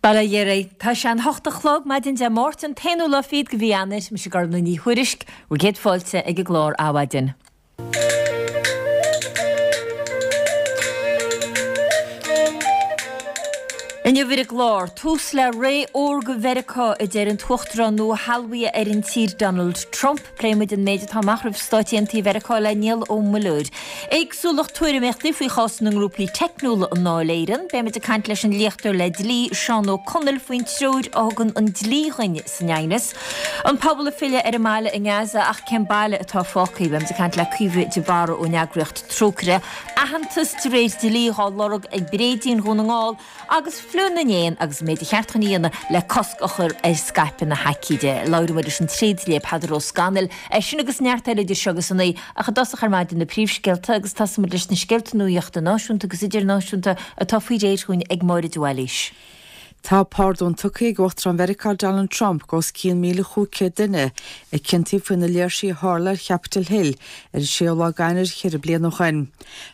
Bail ó Dhia oraibh. Tá sé an hocht a chlog, maidin Dé Máirt, an t-aonú lá fichead de mhí Eanáir. Mise Gormlaith Ní Thuairisg, bhur gcéad fáilte ag an gclár Adhmhaidin. Inniu ar an gclár, tús le ré órga Mheiriceá, a deir an tUachtarán nua-shealbhaithe ar an tír Donald Trump. Pléifidh muid an méid atá amach roimh Stáit Aontaithe Mheiriceá le Niall Ó Muilleoir. Éagsúlacht tuairimíochtaí faoi chás na ngrúpaí teicniúla i nDáil Éireann. Beidh muid ag caint leis an léachtóir le dlí, Seán Ó Conaill, faoin treoir a thugann an dlí dhuinn san aighneas. An pobal ag filleadh ar an mbaile i nGaza ach cén baile atá fágtha? Beidh muid ag caint le Caoimhe de Barra ón eagraíocht Trócaire. Aitheantas de réir dlí dhá lorg ag Bréidín Dhún na nGall agus Fliú na nÉan agus an méid a cheart dhúinn a dhéanamh le cosc a chur ar scaipeadh na haicíde. Labhróidh muid leis an tréidlia Peadar Ó Scanaill ar sin agus neart eile idir seo agus a naoi ach i dtosach ar maidin na príomhscéalta agus tosóidh muid leis na scéalta nuaíochta náisiúnta agus idirnáisiúnta atá faoi réir dhúinn ag Máire de Bhailís. Tá pardún tugtha ag Uachtarán Mheiriceá Donald Trump do os cionn 1,500 duine a ciontaíodh faoi na léirsithe a tharla ar Chapitol Hill ar an séú lá d'Eanáir cheithre bliana ó shin.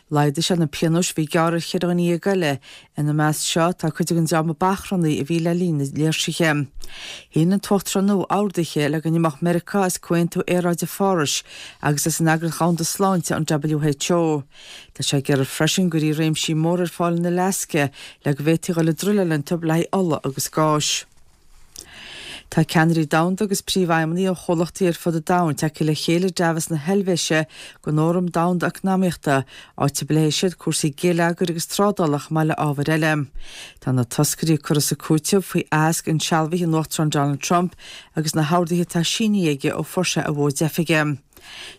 Laghdaigh sé na pionóis a bhí gearrtha ar cheithre dhuine dhéag eile, ina measc seo tá cuid den dream a b'achrannaí a bhí le linn na léirsithe. Shínigh an tUachtarán nua orduithe le go n-imeodh Meiriceá as Comhaontú Aeráide Phárais agus as an Eagraíocht Dhomhanda Sláinte, an WHO. Tá sé ag iarraidh freisin go gcuirfí réimsí móra ar fáil in Alaska le go bhféadfaí a dhul ag druileáil iontu le haghaidh ola agus gáis. Tá ceannairí domhanda agus príomhfheidhmeannaigh ó chomhlachtaí ar fud an domhain tagtha le chéile i Davos na hEilvéise don Fhóram Domhanda Eacnamaíochta, áit a bpléifidh siad cúrsaí geilleagair agus trádála chomh maith le ábhair eile. Tá na toscairí ag cur as ag cúiteamh faoi aitheasc insealbhaithe an Uachtaráin Donald Trump agus na horduithe atá sínithe aige ó fuair sé a mhóid oifige.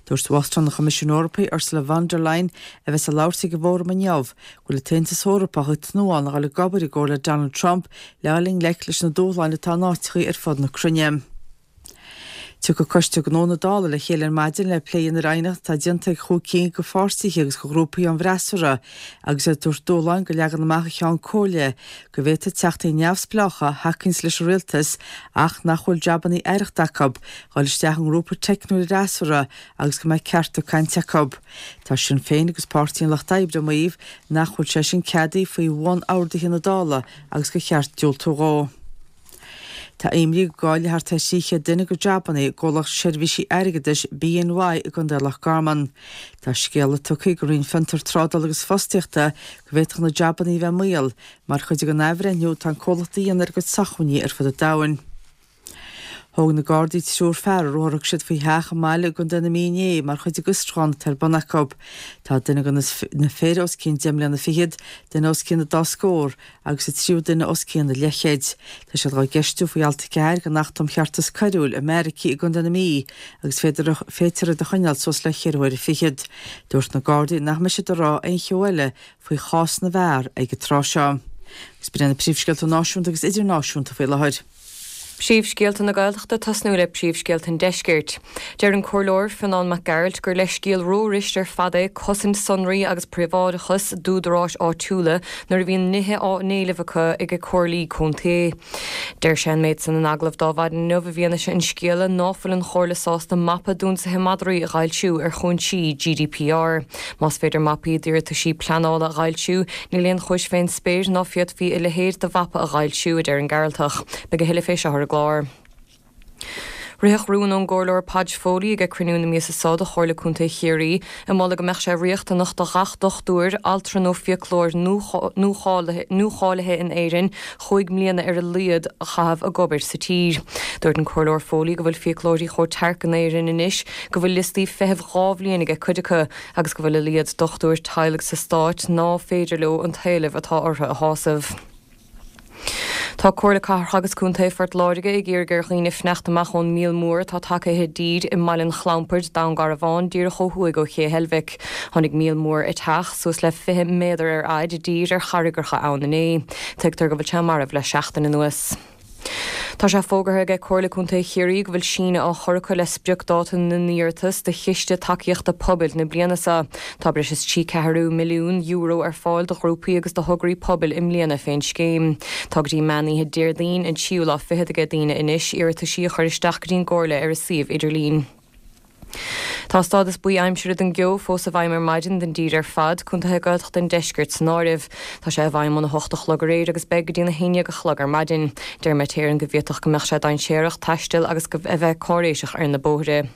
Dúirt Uachtarán an Choimisiúin Eorpaigh, Ursula von der Leyen, a bheas ag labhairt ag an bhfóram inniu, go bhfuil an tAontas Eorpach ag tnúthán a dhul ag obair i gcomhar le Donald Trump le dhul i ngleic leis na dúshláin atá in áiteachaí ar fud na cruinne. Tiocfaidh Coiste Gnó na Dála le chéile ar maidin le plé a dhéanamh ar aighneacht atá déanta ag chúig cinn de pháirtithe agus de ghrúpaí ón bhfreasúra agus iad ag tabhairt dúshláin do leagan amach an Cheann Comhairle go bhféadfaidh teachtaí neamhspleácha a thacaíonns leis an rialtas ach nach bhfuil jabannaí aireachta acu, dhul isteach i ngrúpa teicniúil an fhreasúra agus go mbeidh cearta cainte acu. Tá Sinn Féin agus Páirtí an Lucht Oibre ag maíomh nach bhfuil sé sin ceadaithe faoi bhun-orduithe na Dála agus gur cheart diúltú dhó. Tá imní go gcaillfidh thart ar 300 duine a gcuid jabannaí i gcomhlacht seirbhísí airgeadais BNY i gContae Loch Garman. Tá scéala tugtha ag an Roinn Fiontar, Trádála agus Fostaíochta go bhféadfadh na jabannaí a bheith i mbaol mar chuid den athbhreithniú atá an comhlacht a dhéanamh ar a gcuid socmhainní ar fud an domhain. Thóg na Gardaí triúr fear ar ruathar a thug siad faoi theach i mbaile i gContae na Mí inné mar chuid den bhfiosrúchán atá ar bun acu. Tá duine de na fir os cionn deich mbliana fichead, duine os cionn an dá scór agus an tríú duine os cionn an leathchéid. Tá siad dhá gceistiú faoi alt 4 den Acht um Cheartas Coiriúil i mbeairicí i gContae na Mí agus féadfar iad a choinneáil suas le cheithre huaire fichead. Dúirt na Gardaí nach mbeidh siad ag rá aon cheo eile faoi chás na bhfear ag an tráth seo. Agus b'in iad na príomhscéalta náisiúnta agus idirnáisiúnta faoi láthair. Príomhscéalta na Gaeltachta tosnú le príomhscéalta an Deiscirt. Deir an Comhairleoir Fionnán Mac Gearailt gur leithscéal ró-rist ar fad é cosaint sonraí agus príobháideachas d'údaráis áitiúla nuair a bhíonn nithe á n-éileamh acu ag comhairlí contae. Deir sé an méid san in agallamh d'Adhmhaidin inniu i bhfianaise an scéala ná fuil an Chomhairle sásta mapa d'ionsaithe madraí a dh'fhoilsiú ar chúinsí GDPR. Más féidir mapaí d'iarrataisí pleanála a dh'fhoilsiú, níl aon chúis fén spéir ná féadfaí a leithéid de mhapa a dh'fhoilsiú, a deir an Gearaltach. Beidh a thuilleadh fé seo ar an gclár. Ritheadh rún ón gComhairleoir Podge Foley ag cruinniú na míosa so de Chomhairle Contae Chiarraí ag moladh go mbeadh sé riachtanach do ghach dochtúir, altra nó fiaclóir nuacháilithe in Éirinn chúig mbliana ar a laghad a chaitheamh ag obair sa tír. Dúirt an Comhairleoir Foley go bhfuil fiaclóirí chomh tearc in Éirinn anois go bhfuil liostaí feithimh 2 bhliain aige cuid acu agus go bhfuil a laghad dochtúir teaghlaigh sa Stát ná féidir leo an t-éileamh atá orthu a shásamh. Tá Comhairle Cathrach agus Contae Phort Láirge ag iarraidh ar dhaoine fanacht amach ón míol mór atá tagtha i dtír i mBaile an Chlampaird, Dún Garbhán, díreach ó thuaidh ó Ché Heilbhic. Tháinig míol mór eiteach, suas le 20 méadar ar fhaid, i dtír ar charraigreacha ann inné. Tuigtear go bhfuil sé marbh le seachtain anuas. Tá sé fógartha aige Comhairle Contae Chiarraí go bhfuil síneadh á chur acu le spriocdáta na n-iarratas do Chiste Tacaíochta Pobail na bliana seo. Tá breis is €3 ceathrú milliún ar fáil do ghrúpaí agus do thograí pobail i mbliana fén scéim. Tá go dtí meán oíche Déardaoin an tríú lá fichead aige daoine anois iarrataisí a chur isteach go dtí'n gComhairle ar a suíomh idirlín. Tá stádas buí aimsire don gceo fós i bhfeidhm ar maidin don dtír ar fad, contaetha Gaeltachta an deiscirt san áireamh. Tá sé i bhfeidhm óna hocht a chlog aréir agus beidh go dtí an 11 a chlog ar maidin. Deir Met Éireann go bhféadfadh go mbeadh sé dainséarach taisteal agus a bheith cáiréiseach ar na bóithre.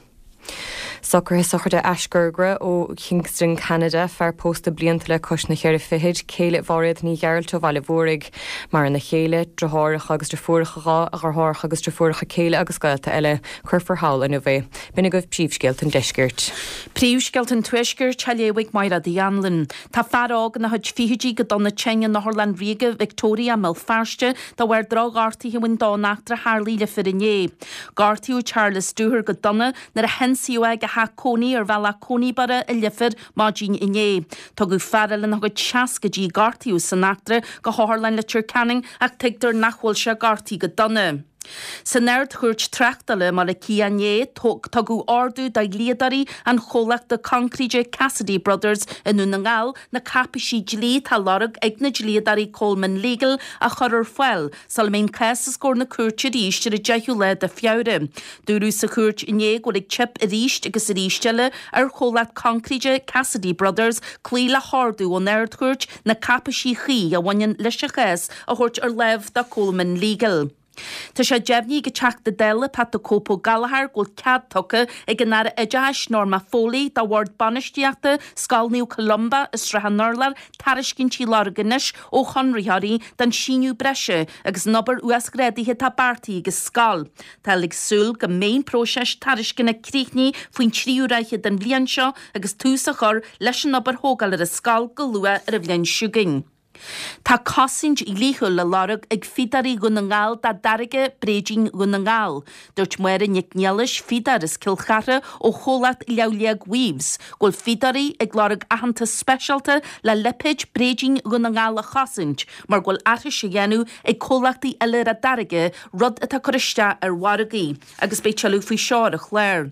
Socruithe sochraide Aisghairthe ó Kingston, Ceanada, fear pósta blianta le cois na cheithre fichid, céile Mháiréad Ní Ghearailt ó Bhaile Mhúraigh. Maireann a chéile, driotháireacha agus driofúracha dhá, a dheartháireacha agus driofúracha céile agus gaolta eile. Cuirfear thall inniu é. B'in agaibh príomhscéalta an deiscirt. Príomhscéalta an Tuaiscirt á léamh ag Máire Uí Anluain. Tá fear óg ina chuid fichidí go dona tinn in Otharlann Ríoga Victoria i mBéal Feirste de bharr drochghortaithe a bhain dó in eachtra a tharlaigh i Leifear inné. Gortaíodh Charles Dooher go dona nuair a hionsaíodh é ag a theach cónaí ar bhealach Coneyburgh i Leifear maidin inné. Tugadh fear eile ina chuid seascaidí a gortaíodh san eachtra go hOtharlann Leitir Ceanainn ach tuigtear nach bhfuil sé gortaithe go dona. San Ard-Chúirt Tráchtála i mBaile Átha Cliath inné, tugadh ordú do dhlíodóirí an chomhlachta coincréite Cassidy Brothers i nDún na nGall na cáipéisí dlí atá á lorg ag na dlíodóirí Coleman Legal a chur ar fáil sula mbeidh an cás os comhair na cúirte arís ar an 10ú lá de Feabhra. Dúradh sa chúirt inné go bhfuil ag teip arís agus arís eile ar chomhlacht coincréite Cassidy Brothers cloí le hordú ón Ard-Chúirt na cáipéisí chuí a bhaineann leis an chás a thabhairt ar láimh do Coleman Legal. Tá sé deimhnithe ag an Teachta Dála Pat the Cope Ó Gallchóir go bhfuil cead tugtha ag an Aire Oideachais Norma Foley do Bhord Bainistíochta Scoil Naomh Columba i Srath an Urláir tairiscintí a lorg anois ó chonraitheoirí don síneadh breise agus an obair uasghrádaithe atá beartaithe ag an scoil. Táthar ag súil go mbeidh an próiseas tairisceana críochnaithe faoin tríú ráithe den bhliain seo agus tús á chur leis an obair thógála ar an scoil go luath ar an bhliain seo chugainn. Tá cosaint dhlíthiúil á lorg ag Fíodóirí Dhún na nGall dá dtáirge Bréidín Dhún na nGall. Dúirt Máire Nic Niallais, fíodóir as Cill Chartha ó chomhlacht Leamh Liag Weaves, go bhfuil fíodóirí ag lorg aitheantas speisialta le lipéad Bréidín Dhún na nGall a chosaint mar go bhfuil aithris á dhéanamh ag comhlachtaí eile ar a dtáirge, rud atá ag cur isteach ar mhargaí. Agus beidh tuilleadh faoi seo ar an chlár.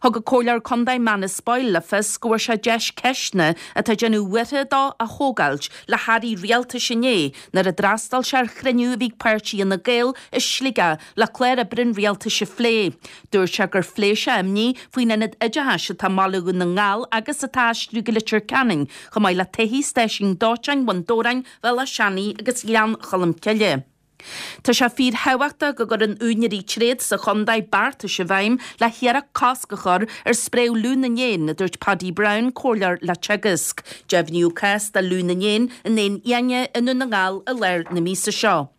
Thug an Comhairleoir Contae Manus Boyle le fios go bhfuair sé deis ceisteanna atá ag déanamh buartha dó a thógáilt le hairí rialtais inné nuair a d'fhreastail sé ar chruinniú a bhí ag páirtí Fhine Gael i Sligeach le clár oibre an rialtais a phlé. Dúirt sé gur phléigh sé imní faoin ionad oideachais atá i mbaile Dhún na nGall agus atá á aistriú go Leitir Ceanainn, chomh maith le todhchaí stáisiún dóiteáin Bhun Dobhráin, Bhéal Átha Seanaidh agus Ghleann Cholm Cille. Tá sé fíorthábhachtach go gcuireann úinéirí tréad sa chontae beartais i bhfeidhm le hiarracht cosc a chur ar spréadh fhliú na n-éan, a dúirt Paddy Browne, comhairleoir le Teagasc. Deimhníodh cás de fhliú na n-éan in éin fhiáine i nDún na nGall i lár na míosa seo.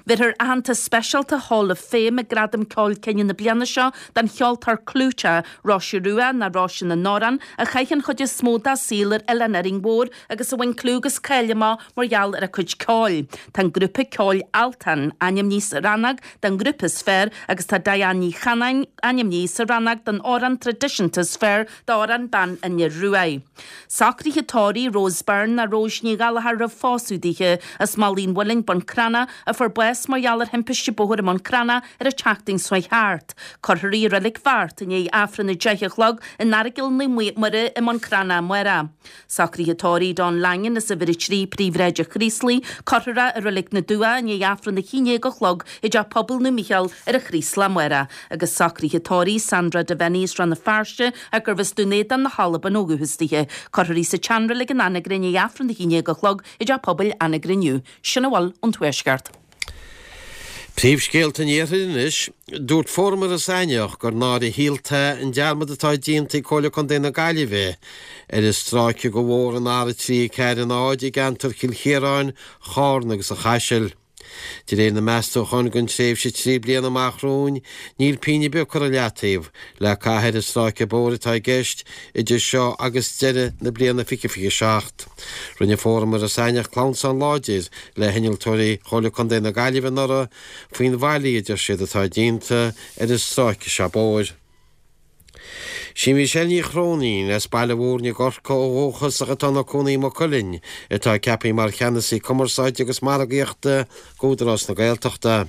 Bheirfear aitheantas speisialta Hall of Fame ag Gradaim Ceoil Kyne na bliana seo don cheoltóir clúiteach, Róise Rua nó Róise na nAmhrán, a chaith an chuid is mó dá saol ar Oileán Árainn Mhór agus a bhain clú agus cáil amach mar gheall ar a cuid ceoil. Tá an grúpa ceoil Altan ainmnithe sa rannóg don ghrúpa is fearr agus tá Diane Ní Chanáin ainmnithe sa rannóg don amhrán traidisiúnta is fearr d'amhrán Bean an Fhir Ruaidh. Socruithe tórraimh Rose Byrne nó Rose Ní Ghallchóir roimh phósadh dithe as Malaidh an Mhuilinn, Bun Cranncha, a fuair bás mar gheall ar thimpiste bóthair i mBun Cranncha ar an tseachtain seo chuaigh thart. Cuirfear í i Reilig Bheart i ndiaidh Aifreann 10 a chlog in Aireagal Naomh Muire i mBun Cranncha amárach. Socruithe tórraimh Don Langan as uimhir 3 Príomhshráid an Chraoslaigh, cuirfear é i Reilig na Dumhcha i ndiaidh Aifreann 11 a chlog i dTeach Pobail Naomh Mícheál ar an Chraoslach amárach, agus socruithe tórraimh Sandra Devenney as Rann na Feirste ach gurbh as Dún Éideann na hAlban ó dhúchas dithe. Cuirfear í sa tseanreilig in Anagaire i ndiaidh Aifreann 11 a chlog i dTeach Pobail Anagaire inniu. Sin a bhfuil ón Tuaisceart. Príomhscéalta an Iarthair anois. Dúirt Fóram Iorras Aithneach gur náire shaolta é an dearmad atá déanta ag Comhairle Contae na Gaillimhe ar an stráice de bhóthar an R3 4 0 i gceantar Chill Chiaráin, Chárna agus an Chaisil. De réir na meastúchán don tréimhse 3 bliana amach romhainn, níl pingin ar bith curtha i leataobh le caitheamh ar an stráice bóthair atá i gceist idir seo agus deireadh na bliana 2027. Rinne Fóram Iorras Aithneach clamhsán láidir le hinnealtóirí Chomhairle Contae na Gaillimhe anuraidh faoin bhfaillí, a deir siad, atá déanta ar an stráice seo bóthair. Sí Michelle Ní Chróinín, as Baile Mhúirne i gCorcaigh ó dhúchas ach atá ina cónaí i Maigh Cuilinn, atá ceaptha mar Cheannasaí Cumarsáide agus Margaíochta d'Údarás na Gaeltachta.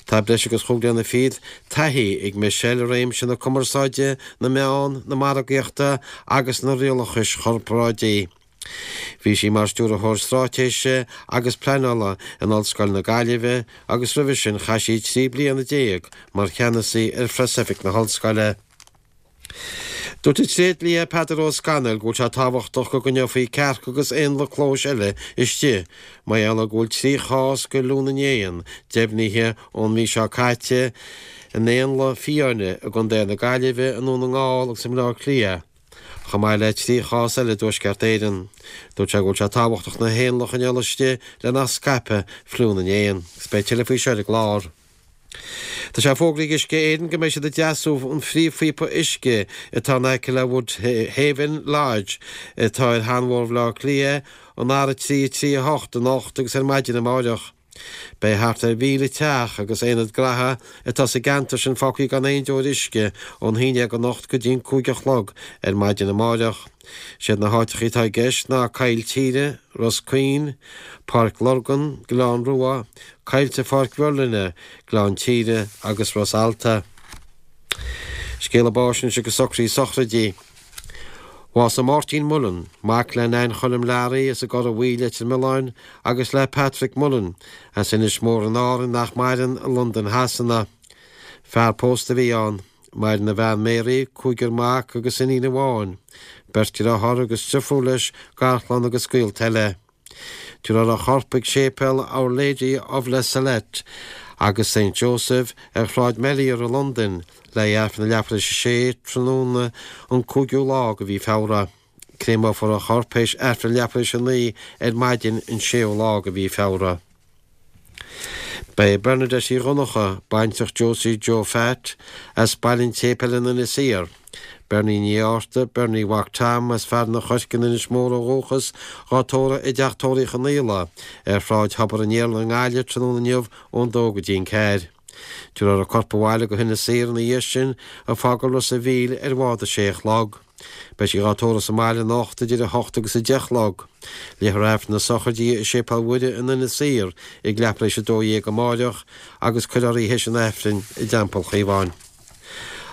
Tá breis agus chúig bliana fichead taithí ag Michelle i réimse na cumarsáide, na meán, na margaíochta agus na rialachais chorparáidigh. Bhí sí mar Stiúrthóir Straitéise agus Pleanála in Ollscoil na Gaillimhe agus roimhe sin chaith sí 13 bliana mar cheannasaí ar Phreasoifig na hOllscoile. Dúirt an tréidlia Peadar Ó Scanaill go bhfuil sé tábhachtach go gcoinneofaí cearca agus éanlaith clóis eile istigh mar gheall ar go bhfuil 3 chás de fhliú na n-éan deimhnithe ón mhí seo caite in éanlaith fiáine i gContae na Gaillimhe, i nDún na nGall agus i mBleá Cliath, chomh maith le 3 chás eile i dTuaisceart Éireann. Dúirt sé go bhfuil sé tábhachtach na héanlaith a choinneáil istigh le nach scaipfeadh fliú na n-éan. Agus beidh tuilleadh faoi seo ar an gclár. Tá sé fógraithe ag Uisce Éireann go mbeidh siad ag deasú an phríomhphíopa uisce atá in aice le Woodhaven Lodge atá ar Sheanbhóthar Bhaile Átha Cliath, an R3 3 8 anocht agus ar maidin amáireach. Beidh thart ar 1,000 teach agus aonad graithe atá sa gceantar sin fágtha gan aon deoir uisce ón haon dhéag anocht go dtí an 5 a chlog ar maidin amáireach. Siad na háiteachaí atá i gceist ná Coill Tíre, Ros Caoin, Páirc Lurgan, Gleann Rua, Coillte Pháirc Mherlin, Gleann Tíre agus Ros Alta. Scéala báis anois agus socruithe sochraide. Bhásaigh Máirtín Mullen, mac le Nain Choilm Learaí as an gCora Bhuí, Leitir Mealláin, agus le Patrick Mullen, as Inis Mór in Árainn nach maireann, i Londain Shasana. Fear pósta a bhí ann. Maireann a bhean Mary, cúigear mac agus iníon amháin, beirt dearthár agus driofúr leis, garchlann agus gaolta eile. Tabharfar a chorp chuig séipéal Our Lady of La Salette agus Saint Joseph ar Shráid Melior i Londain le hAifreann a leathuair tar éis a sé tráthnóna an 5ú lá de mhí Feabhra. Créamófar a chorp théis Aifreann leathuair tar éis a 9 ar maidin an 6ú lá de mhí Feabhra. Beidh Bernadette Uí Dhonncha, baintreach Josie Joe Phat, as Baile an tSéipéil in Inis Oírr, Bernie Ní Fhátharta, Bernie Mhac Tom, as Fearann an Choirce in Inis Mór ó dhúchas, dhá tórramh i dTeach Tórraimh Uí Chonaola ar Shráid Thobar an Iarla i nGaillimh tráthnóna inniu ón dó go dtí an ceathair. Tabharfar a corp abhaile go hInis Oírr ina dhiaidh sin, ag fágáil Ros a' Mhíl ar bhád a sé a chlog. Beidh sí dhá tórramh sa mbaile anocht idir 8 agus 10 a chlog. Léifear Aifreann na sochraide i Séipéal Mhuire in Inis Oírr ag leathuair tar éis 12 amáireach agus cuirfear í théis an Aifrinn i dTeampall Chaomháin.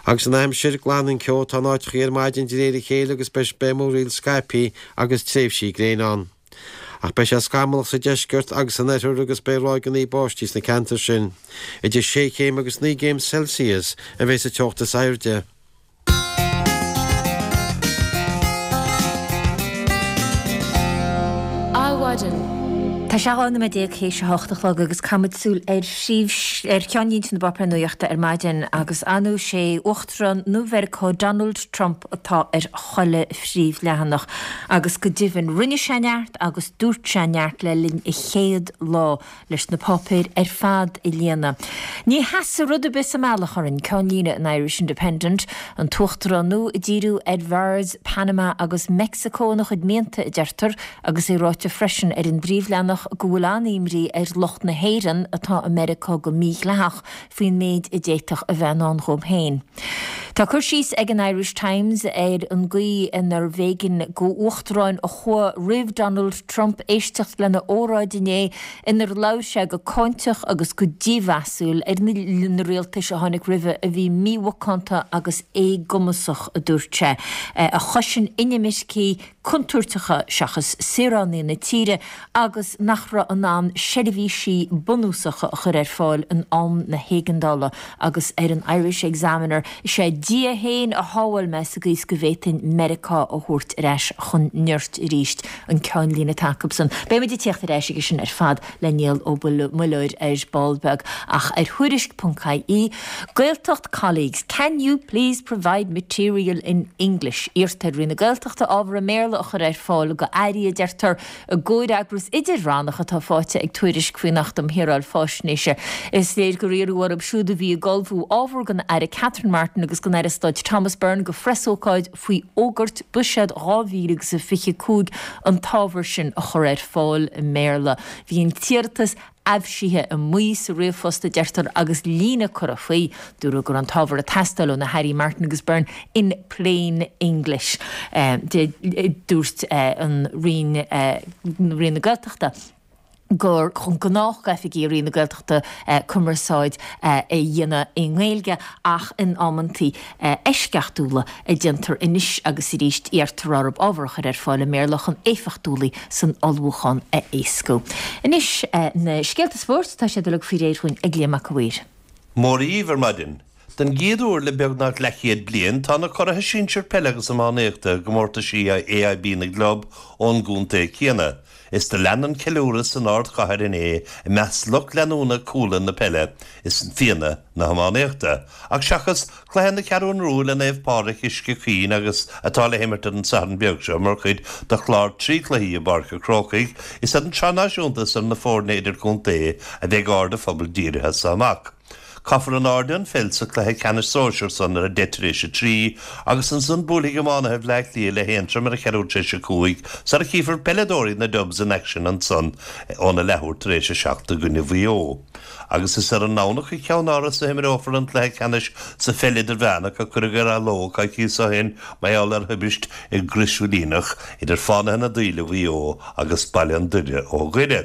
Agus an aimsir, glanfaidh an ceo atá in áiteachaí ar maidin de réir a chéile agus beidh múraíl scaipthe agus tréimhsí gréine ann. Ach beidh sé scamallach sa deisceart agus san oirthear agus beidh ráigeanna báistí sna ceantair sin. Idir sé chéim agus 9 gcéim Celsius a bheidh sa teocht is airde. Adhmhaidin. Tá sé 12 nóiméad théis a hocht a chlog agus caithfimid súil ar phríomh, ar cheannlínte na bpáipéar nuachta ar maidin agus ar ndóigh sé Uachtarán nua Mheiriceá Donald Trump atá ar chuile phríomhleathanach agus go deimhin rinne sé neart agus dúirt sé neart le linn a chéad lá leis na páipéir ar fad a líonadh. Ní sheasfaidh rud ar bith sa mbealach orainn, ceannlíne an Irish Independent, an tUachtarán nua ag díriú ar Mhars, Panama agus Meicsiceo ina chuid mianta, a deirtear, agus é ráite freisin ar an bpríomhleathanach go bhfuil an-imní ar lucht na hÉireann atá i Meiriceá go mídhleathach faoin méid a d'fhéadfadh a bheith i ndán dhóibh féin. Tá cur síos ag an Irish Times ar an gcaoi inarbh éigean d'uachtaráin a chuaigh roimh Donald Trump éisteacht lena óráid inné inar labhair sé go cáinteach agus go dímheasúil ar na rialtais a tháinig roimhe a bhí mímhacánta agus éagumasach, a dúirt sé, a chosain inimircigh contúirteacha seachas saoránaigh na tíre agus nach raibh in ann seirbhísí bunúsacha a chur ar fáil in am na héigeandála agus ar an Irish Examiner, is é Dia féin a shábháil mé sa gcaoi is go bhféadfainn Meiriceá a thabhairt ar ais chun nirt arís, an ceannlíne atá acusan. Beimid ag tíocht ar ais aige sin ar fad le Niall Ó Muilleoir ar ball beag ach ar Thuairisc.ie, Gaeltacht colleagues, can you please provide material in English? Iarrtar ar Roinn na Gaeltachta ábhar i mBéarla a chur ar fáil go airí, a deirtear, i gcomhfhreagras idir-rannach atá faighte ag Tuairisc faoin Acht um Shaoráil Faisnéise. Is léir gur iarradh orthu siúd a bhí ag ullmhú ábhar don Aire Catherine Martin agus don Aire Stáit Thomas Byrne do phreasócáid faoi fhógairt Buiséad 2025 an t-ábhar sin a chur ar fáil i mBéarla. Bhí an t-iarratas aibhsithe i mbuí sa ríomhphost, a deirtear, agus líne curtha faoi. Dúradh go raibh an t-ábhar ag teastáil ó na hAirí Martin agus Byrne in plain English. Dúirt an Roinn, Roinn na Gaeltachta, gur gnách d'oifigigh Roinn na Gaeltachta cumarsáid a dhéanamh i nGaeilge ach in amantaí eisceachtúla a déantar anois agus arís iarrtar orthu ábhar a chur ar fáil i mBéarla chun éifeachtúlacht san ullmhúchán a éascú. Anois na scéalta spóirt, tá siad uilig faoi réir dhúinn ag Liam Mac a' Mhaoir. Mora dhíbh ar maidin. Den gcéad uair le beagnach leathchéad bliain, tá na curaithe sinsir peile agus iománaíochta i gcomórtaisí AIB na gclub ón gcontae céanna. Is do lean an ceiliúradh san ardchathair inné i measc lucht leanúna Cuala na peile is Fianna na hiománaíochta. Ach seachas cluiche na Ceathrún Rua le Naomh Pádraig Uisce Chaoin agus atá le himirt ar an Satharn beag seo mar chuid de chlár trí chluichí i bPáirc an Chrócaigh, is ar an tSraith Náisiúnta is ar na foirne idirchontae a bheidh aird an phobail dírithe as so amach. Caithfear in airde an pheil sa chluiche ceannais sóisear san ar a deich tar éis a 3 agus ansan buailfidh iománaithe Bhleá Cliath le hAontroim ar a cheathrú tar éis a 5 sara chífear peileadóirí na Dubs in aicsean ansan óna leathuair tar éis a 7 i gcoinne Mhaigh Eo. Agus is ar an nDomhnach i gCeann Áras a himreofar an cluiche ceannais sa pheil idirmheánach a cuireadh ar athló coicíos ó shin mar gheall ar thubaist i gCrois Mhaoilíonach idir Fánaithe na Daoile Mhaigh Eo agus Baile an Doire ó Dhoire.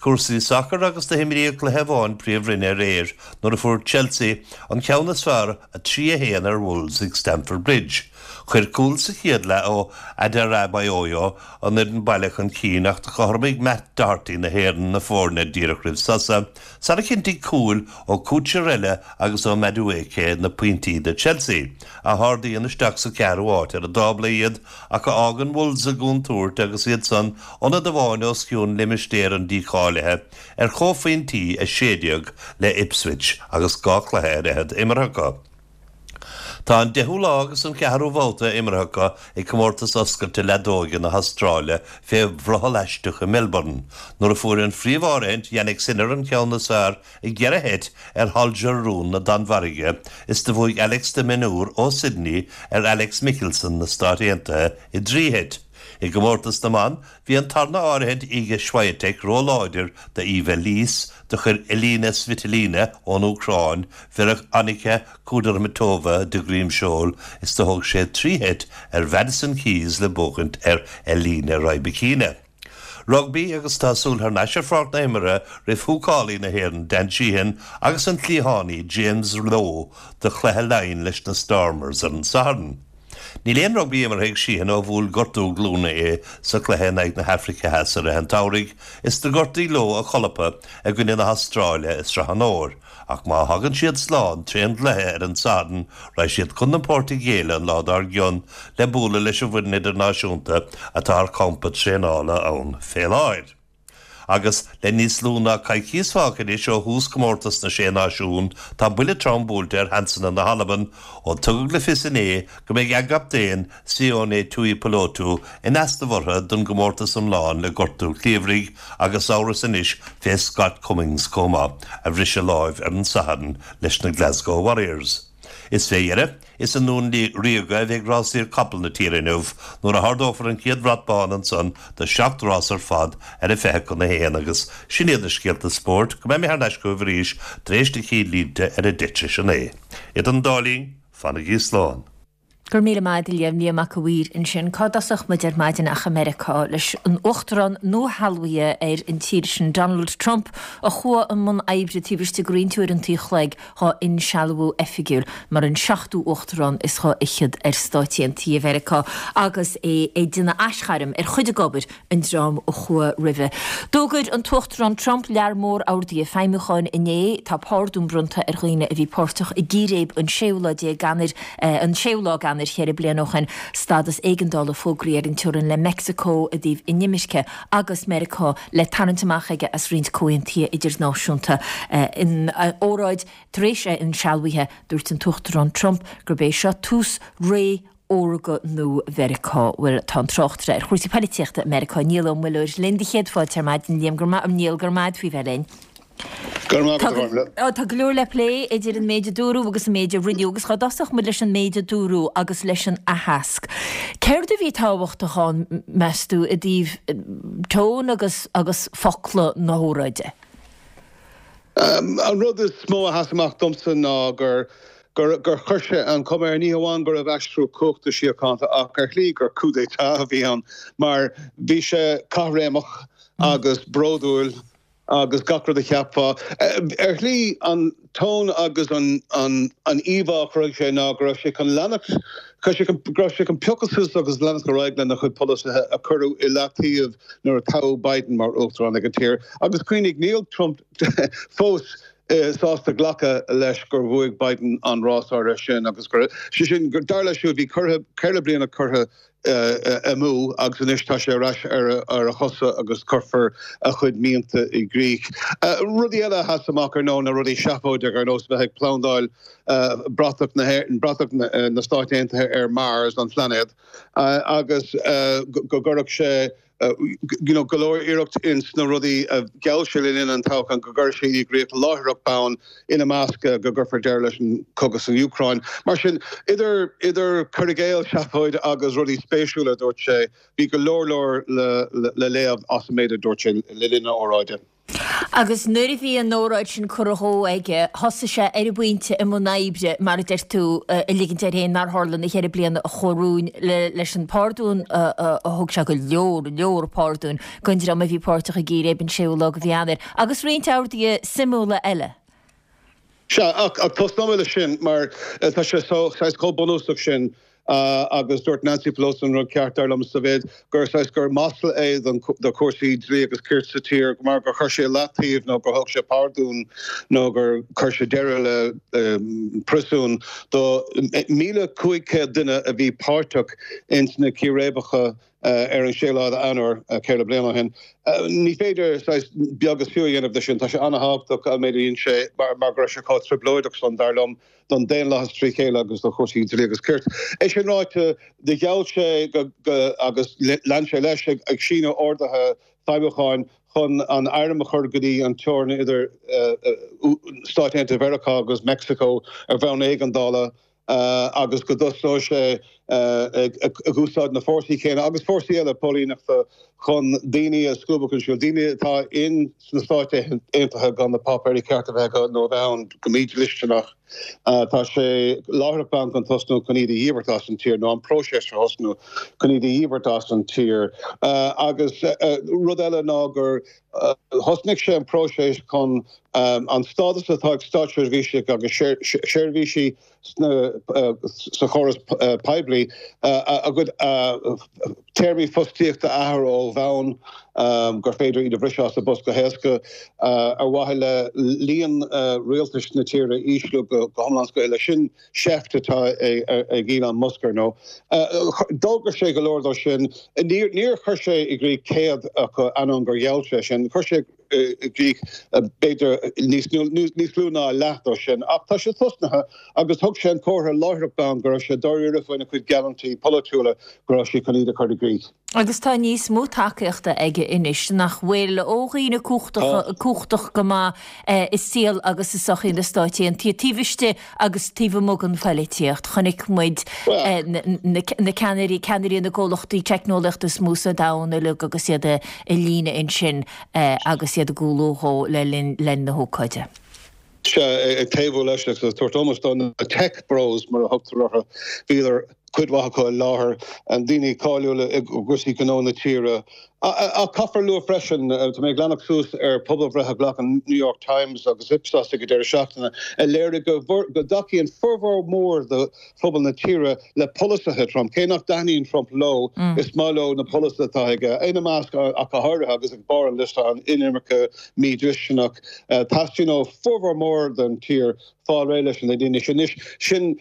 Cúrsaí sacair agus do himríodh cluiche amháin Príomhroinne aréir nuair a fuair Chelsea an ceann is fearr 3, 1 ar Wolves ag Stamford Bridge. Chuir cúl sa chéad leath ó Adarabioyo an fhoireann baile chun cinn ach do chothromaigh Matt Doherty na hÉireann na foirne díreach roimh sosa sara chinntigh cúil ó Cucurella agus ó Madueke na pointí do Chelsea, a hardaíonn isteach sa cheathrú háit ar an dtábla iad. ach a fhágann Wolves i gcontúirt agus iad san ionad amháin os cionn limistéar an dícháilithe ar chomhphointí 16 le Ipswich agus dhá chluiche ar fhichead imeartha acu. Tá an deichiú lá agus an ceathrú babhta imeartha acu ag Comórtas Oscailte Leadóige na hAstráile fé bhrothall aisteach i Melbourne nuair a fuair an phríomh-áirithint Jannik Sinner an ceann is fearr i gceithre sheit ar Holger Rune na Danmhairge is do bhuaigh Alex de Minaur ó Sydney ar Alex Michelsen na Stát Aontaithe i dtrí sheit. I gcomórtas na mban, bhí an tarna áirithint Iga Swiatek róláidir do Eva Lys, do chuir Elina Svitolina ón Úcráin Veronika Kudermetova de dhroim seoil is do thóg sé trí sheit ar Mhadison Keys le buachaint ar Elena Rybakina. Rugbaí agus tá súil thar n-ais ar pháirc na himeartha roimh húcálaí na hÉireann Dan Sheehan agus an cliathánaí James Lowe do chluiche Laighean leis na Stormers ar an Satharn. Níl aon rugbaí imeartha ag Sheehan ó bhuail gortú glúine é sa chluiche in aghaidh na hAfraice Theas i rith an tsamhraidh is do gortaigh Lowe a cholpa i gcoinne na hAstráile i Sraith an Fhómhair. Ach má thagann siad slán trén gcluiche ar an Satharn, raghaidh siad chun na Portaingéile an lá dár gcionn le bualadh leis an bhfoireann idirnáisiúnta atá ar champa traenála ann fé láthair. Agus le níos lú ná coicíos fágtha anois ó thús Chomórtas na Sé Náisiún, tá buille trom buailte ar sheansanna na hAlban ó tugadh le fios inné go mbeidh a gcaptaen, Sione Tuipulotu in easnamh orthu don gcomórtas iomlán le gortú cliabhraigh agus amhras anois fé Scott Cummings chomh maith, a bhris a láimh ar an Satharn leis na Glasgow Warriors. Is fé dheireadh, is i nDún Ríoga a bheidh rásaíocht capall na tíre inniu nuair a hardófar an chéad bhrat bán ansan do sheacht rás ar fad ar a 12:40 agus sin iad na scéalta spóirt go mbeidh mé thar n-ais chugaibh arís tar éis na cinn-línte ar a deich tar éis a naoi. Idir an dá linn, fanaigí slán. Go raibh míle maith agat a Liam, Liam Mac a' Mhaoir ansin. Cá dtosódh muid ar maidin ach i Meiriceá leis an Uachtarán nuashealbhaithe ar an tír sin, Donald Trump, a chuaigh i mbun oibre taobh istigh de roinnt uaireanta an chloig dhá insealbhú oifigiúil mar an seachtú Uachtarán is dha fhichead ar Stáit Aontaithe Mheiriceá agus é ag déanamh aisghairm ar chuid d'obair an dream a chuaigh roimhe. D'fhógair an tUachtarán Trump lear mór orduithe feidhmiúcháin inné. Tá pardún bronnta ar dhaoine a bhí páirteach i gcíréib an séú lá déag Eanáir, an séú lá d'Eanáir cheithre bliana ó shin. Stádas éigeandála fógraithe ar an teorainn le Meicsiceo i dtaobh inimirce agus Meiriceá le tarraingt amach aige as roinnt comhaontuithe idirnáisiúnta. Ina óráid tar éis a insealbhaithe, dúirt an tUachtarán Trump gurb é seo tús ré órga nua Mheiriceá. Bhuel, tá an tráchtaire ar chúrsaí poilitíochta i Meiriceá, Niall Ó Muilleoir, linn do chéad fáilte ar maidin. Liam, go raibh maith, Niall, go raibh maith agat faoi bheith linn. Go raibh maith agat, a Ghormfhlaith. Tá go leor le plé idir an méid a dúradh agus an méid a rinneadh agus dhá dtosódh muid leis an méid a dúradh agus leis an aitheasc. Céard a bhí tábhachtach ann, meas tú, i dtaobh tone agus agus focla na hóráide? An rud is mó a sheas amach domsa ná gur gur chuir sé an chuma air, ní hamháin go raibh aistriú cumhachta síochánta ach ar shlí gur coup d'état a bhí ann mar bhí sé caithréimeach agus bródúil agus gach rud a cheapfá. Ar shlí, an tón agus an íomhá a chruthaigh sé ná go raibh sé chun leanacht, go raibh sé chun piocadh suas agus leanacht ar aghaidh lena chuid polasaithe a cuireadh i leataobh nuair a toghadh Biden mar uachtarán ag an tír. Agus cuimhnigh, níl Trump fós. sásta glacadh leis gur bhuaigh Biden an rás áirithe sin agus gur, sé sin, dar leis siúd, bhí curtha, 4 bliana curtha amú agus anois tá sé ar ais ar a chosa agus cuirfear a chuid mianta i gcrích. Rudaí eile a sheas amach ar ndóigh na rudaí seafóideacha ar nós bheith ag plandáil bratach na bratach na Stáit Aontaithe ar Mars, an phlainéad, agus go gcuirfeadh sé you know, go leor iarracht ins na rudaí a gheall sé le linn an toghcháin go gcuirfeadh sé i gcrích láithreach bonn, ina measc go gcuirfear deireadh leis an cogadh san Úcráin. Mar sin, idir idir cur i gcéill, seafóid agus rudaí spéisiúla a dúirt sé, bhí go leor leor le le léamh as an méid a dúirt sé le linn a óráide. Agus nuair a bhí an óráid sin curtha dhó aige, thosaigh sé ar an bpointe i mbun oibre, mar a deir tú, a ligint air féin nár tharla na ceithre bliana a chuaigh romhainn leis an phardún a thug sé, go leor, leor pardúin don dream a bhí páirteach i gcíréib an séú lá de mhí Eanáir, agus roinnt orduithe suimiúla eile. Sea, ach tosnóidh mé leis sin mar tá sé saghas chomh bunúsach sin agus dúirt Nancy Pelosi an rud ceart, dar liom, sa mhéid gur saghas gur masla é do chúrsaí dlí agus cirt sa tír mar gur chuir sé i leataobh nó gur thug sé pardún nó gur chuir sé deireadh le príosún do 1,500 duine a bhí páirteach ins na círéibeacha ar an séú lá d'Eanáir, ceithre bliana ó shin. Ní féidir saghas beag is fiú a dhéanamh de sin. Tá sé an-thábhachtach an méid a dhein sé mar go raibh sé chomh trioblóideach san, dar liom, don daonlathas trí chéile agus do chúrsaí dlí agus cirt. É sin ráite, do gheall sé go, agus lean sé leis, ag síniú orduithe feidhmiúcháin chun an airm a chur go dtí an teorainn idir Stáit Aontaithe Mheiriceá agus Meicsiceo ar bhonn éigeandála. agus go dtosnóidh sé ag úsáid na fórsaí céanna agus fórsaí eile póilíneachta chun daoine a scuabadh chun siúil, daoine atá in sna Stáit Aontaithe gan na páipéirí cearta a bheith acu nó a bheith ann go mídhlisteanach. Tá sé láithreach bonn chun tosnú chun iad a dhíbirt as an tír, nó an próiseas a thosnú chun iad a dhíbirt as an tír. Agus rud eile ná gur thosnaigh sé an próiseas chun an stádas atá ag státseirbhísigh agus seirbhísigh sa chóras poiblí a gcuid téarmaí fostaíochta a athrú ó bhonn, gur féidir iad a bhriseadh as a bpost go héasca, ar mhaithe le líon rialtais na tíre a ísliú go hiomlán is go huile. Sin seift atá ag Elon Musk, ar ndóigh. D'fhógair sé go leor dó sin. Níor chuir sé i gcrích 100 acu, ainneoin gur gheall sé sin. Chuir sé. i gcrích, b'fhéidir níos lú ná a leath dó sin. Ach tá sé tosnaithe agus thug sé an comhartha láithreach bonn go raibh sé dáiríre faoina chuid geallúintí polaitiúla go raibh sé chun iad a chur i gcrích. Agus tá níos mó tacaíochta aige anois, nach bhfuil, ó dhaoine cumhachtach go maith i saol agus i sochaí na Stáit Aontaithe, taobh istigh agus taobh amuigh den phoilitíocht. Chonaic muid na ceannairí, ceannairí na gcomhlachtaí teicneolaíochta is mó sa domhan uilig agus iad i líne ansin agus iad ag cúlú dhó le linn na hócáide. Sea, ag taobhú leis agus ag tabhairt ómós dó, na tech bros mar a thugtar orthu, bhíodar, cuid mhaith acu i láthair, daoine cáiliúla i gcúrsaí gnó na tíre. Ach caithfear a lua freisin, tá mé ag leanacht suas ar pobalbhreith a ghlac an New York Times agus Ipsos ag an deireadh seachtaine, a léirigh go dtacaíonn formhór mór de phobal na tíre le polasaithe Trump. Cé nach dtaitníonn Trump leo, is maith leo na polasaithe atá aige, ina measc ach go háirithe, agus ag barr an liosta, an inimirce mhídhlisteanach. Teastaíonn ó formhór mór den tír fáil réidh leis na daoine sin. Anois, sin,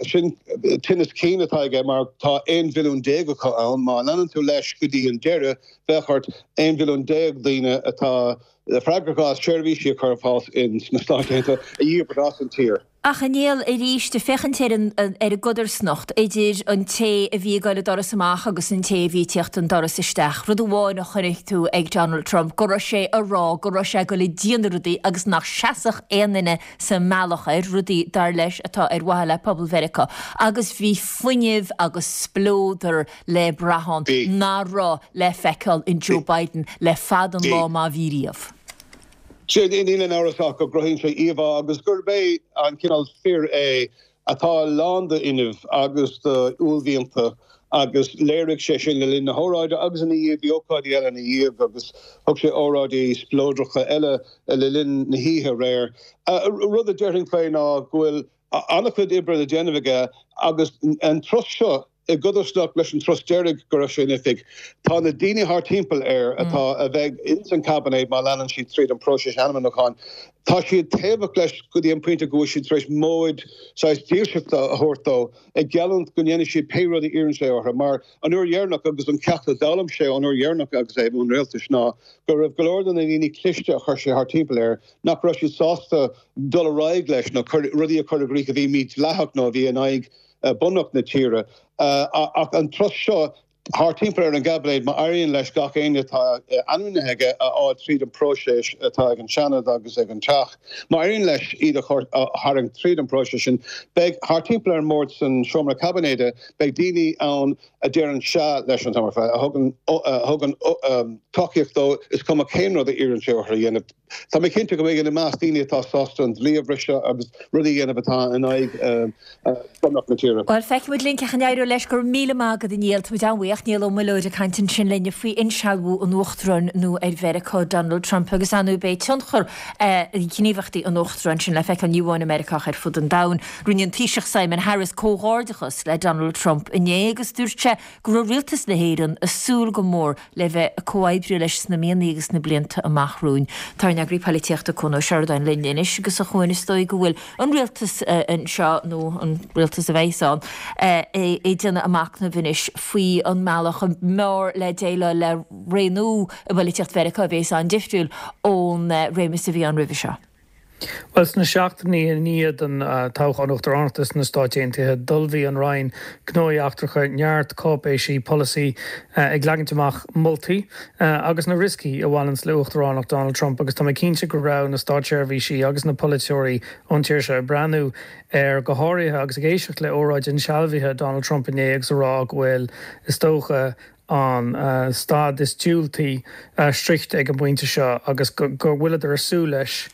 sin tinneas cinn atá aige mar tá 11 mhilliún acu ann. Má leanann tú leis go dtí an deireadh, bheadh ort 11 mhilliún daoine atá freagrach as seirbhísí a chur ar fáil sna Stáit Aontaithe a dhíbirt as an tír. Ach a Néill, arís, ag féachaint ar an ar an gcodarsnacht idir an té a bhí ag dul an doras amach agus an té a bhí ag tíocht an doras isteach, rud amháin a chonaic tú ag Donald Trump, go raibh sé ag rá go raibh sé ag dul ag déanamh rudaí agus nach seasfadh aon duine sa mbealach air, rudaí, dar leis, atá ar mhaithe le pobal Mheiriceá. Agus bhí fuinneamh agus spleodar le brath ann nach raibh le feiceáil in Joe Biden le fada an lá má bhí riamh. Sea, níl aon amhras ach go gcruthaíonn sé íomhá agus gurb é an cineál fir é atá lán d'fhuinneamh agus d'uaillmhianta agus léirigh sé sin le linn na hóráide agus ina dhiaidh, bhí ócáidí eile ina dhiaidh agus thug sé óráidí spleodracha eile le linn na hoíche aréir. Rud a déarfainn faoi ná go bhfuil an-chuid oibre le déanamh aige agus an turas seo. I gcodarsnacht leis an turas deiridh go raibh sé in oifig, tá na daoine thart timpeall air atá, a bheidh ins an caibinéad má leanann siad tríd an próiseas ainmniúcháin, tá siad taobhach leis go dtí an pointe go bhfuil siad tar éis móid saghas dílseachta a thabhairt dó, ag geallúint go ndéanfaidh siad pé rud a iarrann sé orthu. Mar an uair dheireanach, agus an ceacht a d'fhoghlaim sé ón uair dheireanach agus é i mbun rialtais ná go raibh go leor de na daoine cliste a chuir sé thart timpeall air nach raibh siad sásta dul ar aghaidh leis nó rudaí a chur i gcrích a bhí mídhleathach nó a bhí in aghaidh Bunreacht na tíre. Ach an turas seo thart timpeall ar an gcaibinéad, má éiríonn leis gach éinne atá ainmnithe aige a fháil tríd an bpróiseas atá ag an Seanad agus ag an Teach, má éiríonn leis iad a tharraingt tríd an bpróiseas sin, beidh thart timpeall ar an mbord san seomra caibinéide, beidh daoine ann a deireann sea leis an t-am ar fad, a thugann tacaíocht dó, is cuma cén rud a iarrann sé orthu a dhéanamh. Tá mé cinnte go mbeidh ina measc daoine atá sásta an dlí a bhriseadh agus rudaí a dhéanamh atá in aghaidh Bhunreacht na tíre. Bhuel, feicfidh muid linn cén chaoi a n-éireoidh leis. Go raibh míle maith agat, a Néill. Tá muid an-bhuíoch. Niall Ó Muilleoir ag caint ansin linne faoi insealbhú an Uachtaráin nua ar Mheiriceá, Donald Trump, agus ar ndóigh beidh tionchar ghníomhaíochtaí an Uachtaráin sin le feiceáil ní amháin i Meiriceá ach ar fud an domhain. Rinne an Taoiseach Simon Harris comhghairdeachas le Donald Trump inné agus dúirt sé go raibh rialtas na hÉireann ag súil go mór le bheith ag comhoibriú leis sna míonna agus sna blianta amach romhainn. Tá ár n-eagraí poilitíochta Cuan Ó Seireadáin linn anois agus a Chuain is dóigh go bhfuil an rialtas anseo, nó an rialtas a bheas ann, ag déanamh a machnaimh anois faoi an mbealach ab fhearr le déileáil le ré nua i bpoilitíocht Mheiriceá a bheas an-difriúil ón réimeas a bhí ann roimhe seo. Bhuel, sna seachtainí i ndiaidh don toghchán uachtaránachta sna Stáit Aontaithe, d'ullmhaigh an Roinn Gnóthaí Eachtracha neart cáipéisí polasaí ag leagaint amach moltaí agus na rioscaí a bhaineanns le uachtaránacht Donald Trump agus tá mé cinnte go raibh na státseirbhísí agus na polaiteoirí ón tír seo ag breathnú ar go háirithe agus ag éisteacht le óráid insealbhaithe Donald Trump inné agus a rá go bhfuil, is dócha, an staid is diúltaí sroichte ag an bpointe seo agus go bhfuileadar ag súil leis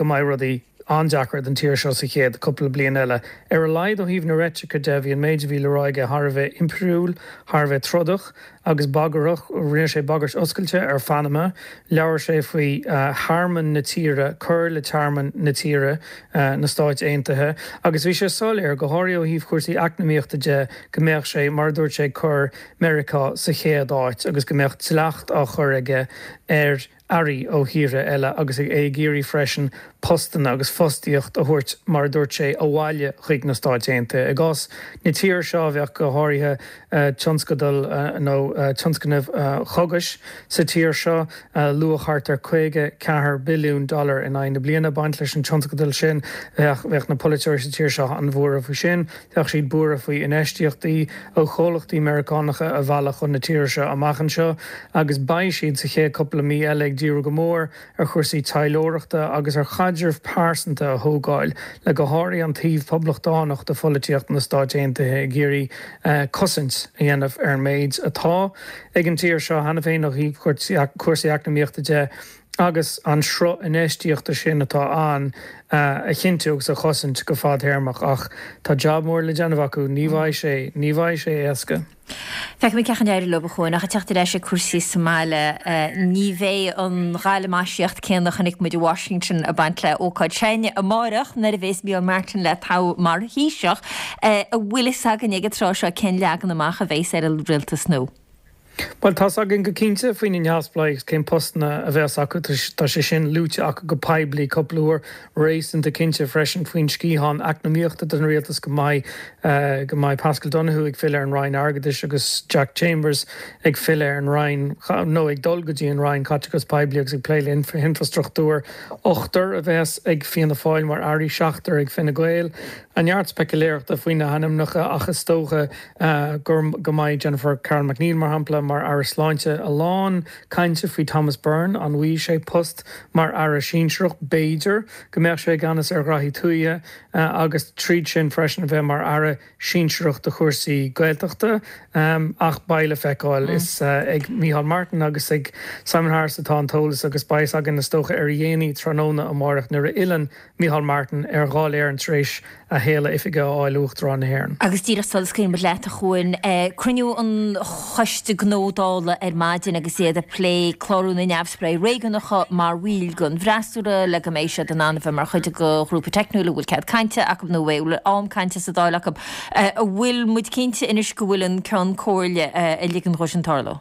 go mbeidh rudaí an-deacair don tír seo sa chéad cúpla bliain eile. Ar a laghad ó thaobh na reitrice de, bhí an méid a bhí le rá aige thar a bheith impiriúil, thar a bheith trodach agus bagarthach. Rinne sé bagairt oscailte ar Phanama, labhair sé faoi thearmann na tíre, cur le tearmann na tíre, na Stáit Aontaithe, agus bhí sé soiléir, go háirithe ó thaobh chúrsaí eacnamaíochta de, go mbeadh sé, mar a dúirt sé, ag cur Meiriceá sa chéad áit agus go mbeadh dleacht á chur aige ar earraí ó thíortha eile agus é ag iarraidh freisin postanna agus fostaíocht a thabhairt, mar a dúirt sé, abhaile chuig na Stáit Aontaithe. I gcás na tíre seo, bheadh go háirithe tionscadal nó tionscnaimh chógais sa tír seo, luach thart ar 54 billiún dollar in aghaidh na bliana ag baint leis an tionscadal sin. Bheadh na polaiteoirí sa tír seo an-bhuartha faoi sin. Bheadh siad buartha faoi infheistíochtaí ó chomhlachtaí Meiriceánacha a mhealladh chun na tíre seo amach anseo agus beidh siad sa chéad cúpla mí eile ag díriú go mór ar chúrsaí taidhleoireachta agus ar chaidreamh pearsanta a thógáil le go háirithe an taobh poblachtánach de pholaitíocht na Stáit Aontaithe ag iarraidh cosaint a dhéanamh ar an méid atá ag an tír seo cheana féin ó thaobh cúrsaí eacnamaíochta de. agus an sruth infheistíochta sin atá ann a chinntiú agus a chosaint go fadtéarmach. Ach tá jab mór le déanamh acu, ní bheidh sé, ní bheidh sé éasca. Feicfimid cén chaoi a n-éireoidh leo a Chuain, ach ag teacht ar ais ag cúrsaí sa mbaile, ní bheidh an ghalamaisíocht céanna a chonaic muid i Washington ag baint le ócáid s'againne amáireach nuair a bhéas Micheál Martin le toghadh mar Thaoiseach. An bhfuil fhios againn ag an tráth seo cén leagan amach a bhéas ar an rialtas nua? Bhuel, tá's againn go cinnte faoi na neamhspleáigh agus cén postanna a bheas acu. Tá sé sin luaite acu go poiblí cúpla uair. Réasúnta cinnte freisin faoin sciathán eacnamaíochta den rialtas go mbeidh go mbeidh Paschal Donohoe ag filleadh ar an Roinn Airgeadais agus Jack Chambers ag filleadh ar an Roinn nó ag dul go dtí an Roinn Caiteachais Poiblí agus ag plé le hinfrastruchtúr. Ochtar a bheas ag Fianna Fáil mar airí, seachtar ag Fine Gael. Neart speicealéireachta faoi na hainmneacha ach is dócha go go mbeidh Jennifer Carroll MacNeill, mar shampla, mar Aire Sláinte. A lán cainte faoi Thomas Byrne, an bhfaighidh sé post mar Aire Sinsearach? B'fhéidir go mbeadh sé i gceannas ar ghraithí tuaithe agus tríd sin freisin a bheith mar Aire Sinsearach do chúrsaí Gaeltachta. Ach beidh le feiceáil. Is ag Micheál Martin agus ag Simon Harris atá an t-eolas agus beidh fhios againn is dócha ar a dhéanaí tráthnóna amárach nuair a fhilleann Micheál Martin ar Dháil Éireann tar éis a. shéala oifige a fháil ó Uachtarán na hÉireann. Agus díreach sula scaoilfidh muid leat, a Chuain, cruinniú an Choiste Gnó Dála ar maidin agus iad ag plé clárú na neamhspleáigh réigiúnacha mar bhaill den bhfreasúra le go mbeidh siad in ann a bheith mar chuid de ghrúpa teicniúil a bhfuil cead cainte acu nó a bhfuil am cainte sa Dáil acu. An bhfuil muid cinnte anois go bhfuil an Ceann Comhairle ag ligean dhó sin tarlú?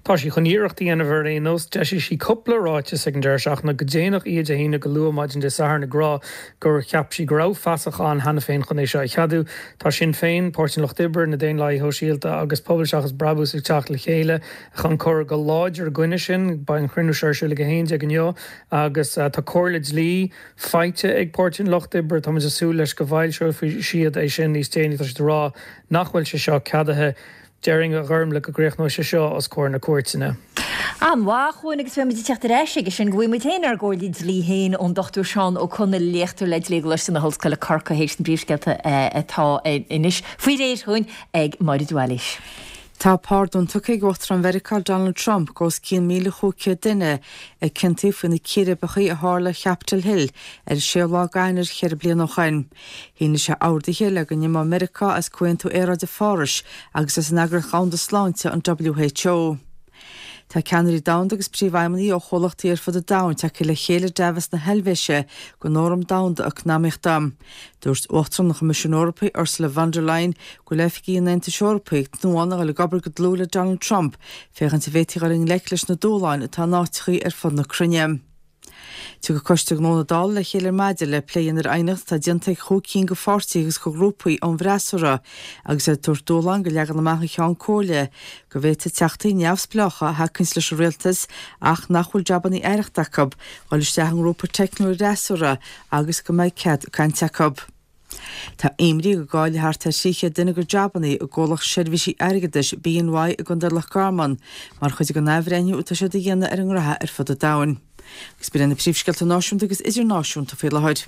Tá sí chun iarracht a dhéanamh ar aon nós. D'eisigh sí cúpla ráiteas ag an deireadh seachtaine, go déanach oíche Dé hAoine, go luath maidin Dé Sathairn, ag rá gur cheap sí go raibh fasach ann cheana féin chun é seo a cheadú. Tá Sinn Féin, Páirtí an Lucht Oibre, na Daonlathaithe Shóisialta agus Pobal Seachas Brabús ag teacht le chéile chun cur go láidir i gcoinne sin. Beidh an chruinniú seo ar siúl ag 11 inniu agus tá comhairle dlí faighte ag Páirtí an Lucht Oibre. Tá muid ag súil leis go bhfoilseoidh siad é sin níos déanaí. Tá siad ag rá nach bhfuil sé seo ceadaithe. Déarfainn, a Ghormlaith, go gcríochnóidh sé seo os comhair na cúirteanna. An-mhaith, a Chuain, agus beidh muid ag teacht ar ais aige sin go bhfaighidh muid féin ár gcomhairle dlí féin ón Dr Seán Ó Conaill, léachtóir le Dlí i gColáiste na hOllscoile, Corcaigh, théis na bpríomhscéalta atá anois faoi réir chugainn ag Máire de Bhailís. Tá pardún tugtha ag Uachtarán Mheiriceá Donald Trump go os cionn 1,500 duine a ciontaíodh faoi na círéibeacha a tharla ar Chapitol Hill ar an séú lá d'Eanáir cheithre bliana ó shoin. Shínigh sé orduithe le go n-imeodh Meiriceá as Comhaontú Aeráide Phárais agus as an Eagraíocht Dhomhanda Sláinte, an WHO. Tá ceannairí domhanda agus príomhfheidhmeannaigh ó chomhlachtaí ar fud an domhain tagtha le chéile i Davos na hEilvéise don Fhóram Domhanda Eacnamaíochta. Dúirt Uachtarán an Choimisiúin Eorpaigh, Ursula von der Leyen, go bhfuil oifigigh an Aontais Eorpaigh ag tnúthán a dhul ag obair go dlúth le Donald Trump féachaint an bhféadfaí dhul i ngleic leis na dúshláin atá in áiteachaí ar fud na cruinne. Tiocfaidh Coiste Gnó na Dála le chéile ar maidin le plé a dhéanamh ar aighneacht atá déanta ag chúig cinn de pháirtithe agus de ghrúpaí ón bhfreasúra agus iad ag tabhairt dúshlán do leagan amach an Cheann Comhairle go bhféadfaidh teachtaí neamhspleácha a thacaíonns leis an rialtas ach nach bhfuil jabannaí aireachta acu dhul isteach i ngrúpa teicniúil an fhreasúra agus go mbeidh cead cainte acu. Tá imní go gcaillfidh thart ar 300 duine a gcuid jabannaí i gcomhlacht seirbhísí airgeadais BNY i gContae Loch Garman mar chuid den athbhreithniú atá siad a dhéanamh ar a ngraithe ar fud an domhain. Agus b'in iad na príomhscéalta náisiúnta agus idirnáisiúnta faoi láthair.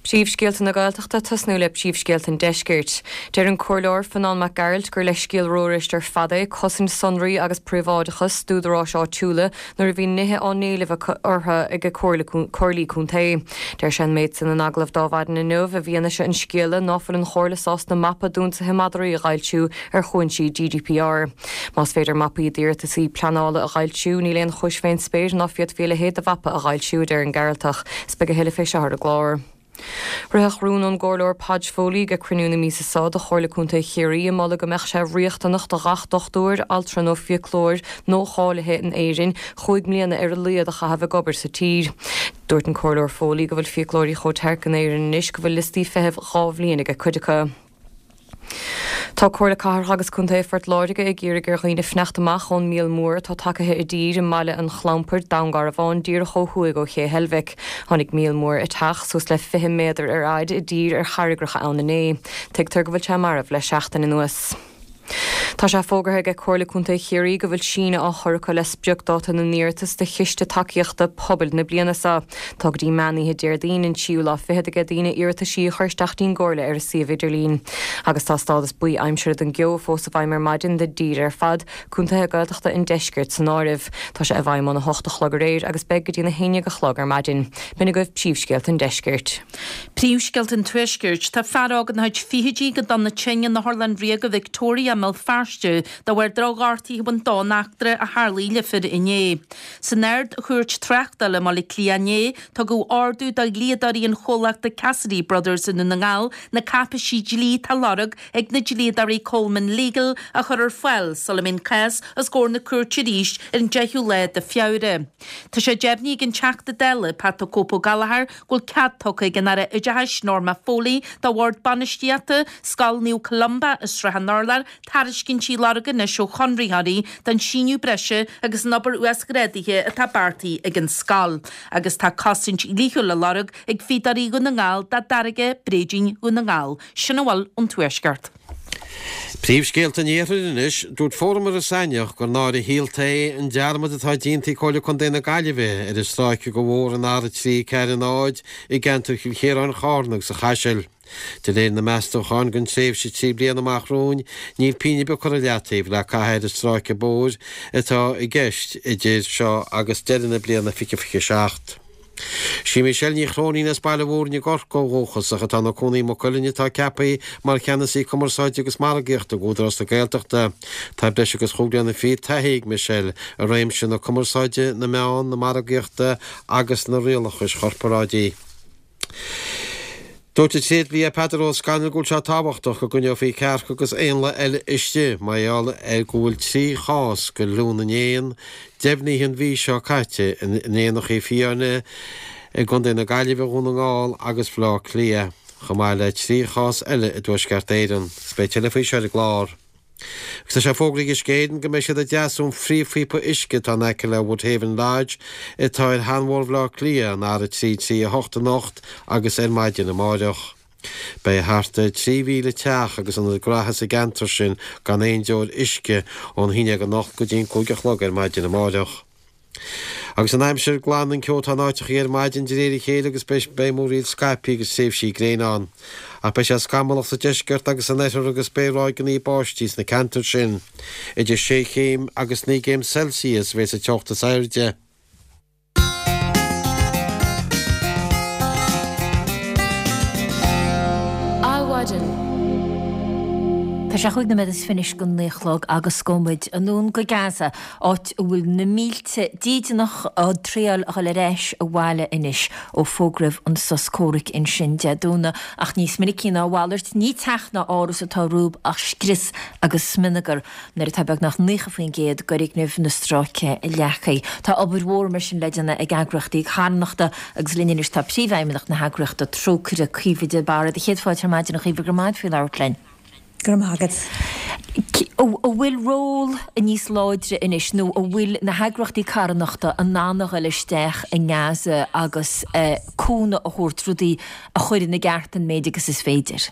Príomhscéalta na Gaeltachta, tosnú le príomhscéalta an Deiscirt. Deir an Comhairleoir Fionán Mac Gearailt gur leithscéal rófhuirist ar fad é cosaint sonraí agus príobháideachas d'údaráis áitiúla nuair a bhíonn nithe á n-éileamh orthu ag comhairlí contae. Deir sé an méid san in agallamh d'Adhmhaidin inniu i bhfianaise an scéala ná fuil an Chomhairle sásta mapa d'ionsaithe madraí a dh'fhoilsiú ar chúinsí GDPR. Más féidir mapaí d'iarratasaí pleanála a dh'fhoilsiú, níl aon chúis fén spéir ná féadfaí a leithéid de mhapa a dh'fhoilsiú, a deir an Gearaltach. 'S beidh a thuilleadh fé seo ar an gclár. Ritheadh rún ón gComhairleoir Podge Foley ag cruinniú na míosa seo de Chomhairle Contae Chiarraí ag moladh go mbeadh sé riachtanach do ghach dochtúir, altra nó fiaclóir nuacháilithe in Éirinn chúig mbliana ar a laghad a chaitheamh ag obair sa tír. Dúirt an Comhairleoir Foley go bhfuil fiaclóirí chomh tearc in Éirinn anois go bhfuil liostaí feithimh dha bhliain ag cuid acu. Tá Comhairle Cathrach agus Contae Phort Láirge ag iarraidh ar dhaoine fanacht amach ón míol mór atá tagaithe i dtír i mBaile an Chlampair, Dún Garbhán, díreach ó thuaidh ó Ché Heilbhic. Tháinig míol mór eiteach, suas le 20 méadar ar fhaid, i dtír ar charraigreacha ann inné. Tuigtear go bhfuil sé marbh le seachtain anuas. Tá sé fógartha aige Comhairle Contae Chiarraí go bhfuil síneadh á chur acu le spriocdáta na n-iarratas do Chiste Tacaíochta Pobail na bliana seo. Tá go dtí meán oíche Déardaoin an tríú lá fichead aige daoine iarrataisí a chur isteach dtí'n gComhairle ar a suíomh idirlín. Agus tá stádas buí aimsire don gceo fós i bhfeidhm ar maidin don dtír ar fad, contaetha Gaeltachta an deiscirt san áireamh. Tá sé i bhfeidhm óna hocht a chlog aréir agus beidh go dtí na haon dhéag a chlog ar maidin. B'in agaibh príomhscéalta an deiscirt. Príomhscéalta an Tuaiscirt. Tá fear óg ina chuid fichidí go dona tinn in Otharlann Ríoga Victoria i mBéal Feirste de bharr drochghortaithe a bhain dó in eachtra a tharlaigh le fir inné. San Ard-Chúirt Tráchtála i mBaile Átha Cliath inné, tugadh ordú do dhlíodóirí an chomhlachta Cassidy Brothers i nDún na nGall na cáipéisí dlí atá á lorg ag na dlíodóirí Coleman Legal a chur ar fáil sula mbeidh an cás os comhair na cúirte arís ar an 10ú lá de Feabhra. Tá sé deimhnithe ag an Teachta Dála, Pat 'The Cope' Ó Gallchóir, go bhfuil cead tugtha ag an Aire Oideachais, Norma Foley, do Bhord Bainistíochta Scoil Naomh Columba i Srath an Urláir tairiscintí a lorg anois ó chonraitheoirí don síneadh breise agus an obair uasghrádaithe atá beartaithe ag an scoil. Agus tá cosaint dhlíthiúil á lorg ag Fíodóirí Dhún na nGall dá dtáirge Bréidín Dhún na nGall. Sin a bhfuil ón Tuaisceart. Príomhscéalta an Iarthair anois, Dúirt Fóram Iorras Aithneach gur náire shaolta é an dearmad atá déanta ag Comhairle Contae na Gaillimhe ar an stráice de bhóthar an R3 4 0 i gceantar Chill Chiaráin, Chárna agus an Chaisil. De réir na meastúchán don tréimhse 3 bliana amach romhainn, níl pingin ar bith curtha i leataobh le caitheamh ar an stráice bóthair atá i gceist idir seo agus deireadh na bliana 2027. Sí Michelle Ní Chróinín as Baile Mhúirne i gCorcaigh ó dhúchas ach atá ina cónaí i Maigh Cuilinn atá ceaptha mar Cheannasaí Cumarsáide agus Margaíochta ag Údarás na Gaeltachta. Tá breis agus chúig bliana fichead taithí ag Michelle i réimse na cumarsáide, na meán, na margaíochta agus na rialachais chorparáidigh. Dúirt an tréidlia Peadar Ó Scanaill go bhfuil sé tábhachtach go gcoinneofaí cearca agus éanlaith eile istigh mar gheall ar go bhfuil 3 chás de fhliú na n-éan deimhnithe an mhí seo caite in éanachaí fiáine i gContae na Gaillimhe, Dhún na nGall agus Bhaile Átha Cliath, chomh maith le 3 chás eile i dTuaisceart Éireann. Agus beidh tuilleadh faoi seo ar an gclár. Agus tá sé fógraithe ag Uisce Éireann go mbeidh siad ag deasú an phríomhphíopa uisce atá in aice le Woodhaven Lodge atá ar Sheanbhóthar Bhaile Átha Cliath, an R338 anocht agus ar maidin amáireach. Beidh thart ar 3,000 teach agus ionad gnaithe sa gceantar sin gan aon deoir uisce ón haon déag anocht go dtí an 5 a chlog ar maidin amáireach. Agus an aimsir, glanfaidh an ceo atá in áiteachaí ar maidin de réir a chéile agus beidh múraíl scaipthe agus tréimhsí gréine ann. Ach beidh sé scamallach sa deisceart agus san oirthear agus beidh ráigeanna báistí sna ceantair sin. Idir sé chéim agus naoi gcéim Celsius a bheas an teocht is airde. Adhmhaidin. Tá sé chúig nóiméad is fiche anois go naoi a chlog agus gabhfaidh muid anonn go Gaza. áit a bhfuil na mílte dídeanach á dtriail a dhul ar ais abhaile anois ó fógraíodh an sos comhraic ansin Dé Domhnaigh. Ach níos minicí ná a mhalairt, ní teach ná áras atá rompu ach scrios agus smionagar nuair atá beagnach 90% d'fhoirgnimh na stráice leagtha. Tá obair mhór mar sin le déanamh ag eagraíochtaí carthanachta agus linn anois tá Príomhfheidhmeannach na heagraíochta Trócaire, Caoimhe de Barra. Do chéad fáilte ar maidin a Chaoimhe, go raibh maith agat faoi labhairt linn. Go raibh maith agat. An bhfuil ról níos láidre anois nó an bhfuil na heagraíochtaí carthanachta in ann a dhul isteach i nGaza agus cúnamh a thabhairt, rudaí a chur ina gceart an méid agus is féidir?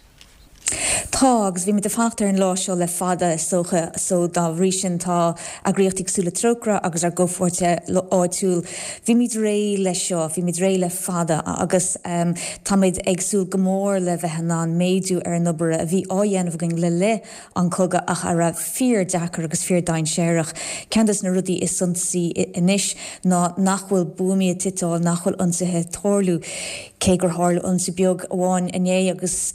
Tá, agus bhí muid ag fanacht ar an lá seo le fada, is dócha, so dá bhrí sin tá eagraíochtaí cosúil le Trócaire agus ár gcomhpháirtithe áitiúil, bhí muid réidh leis seo, bhí muid réidh le fada agus táimid ag súil go mór le bheith in ann méadú ar an obair a bhí á dhéanamh againn le linn an chogaidh ach a raibh fíor deacair agus fíor dainséarach. Ceann des na rudaí is suntasaí anois ná nach bhfuil buamaí ag titeáil, nach bhfuil ionsaithe ag tarlú, cé gur tharla ionsaí beag amháin inné agus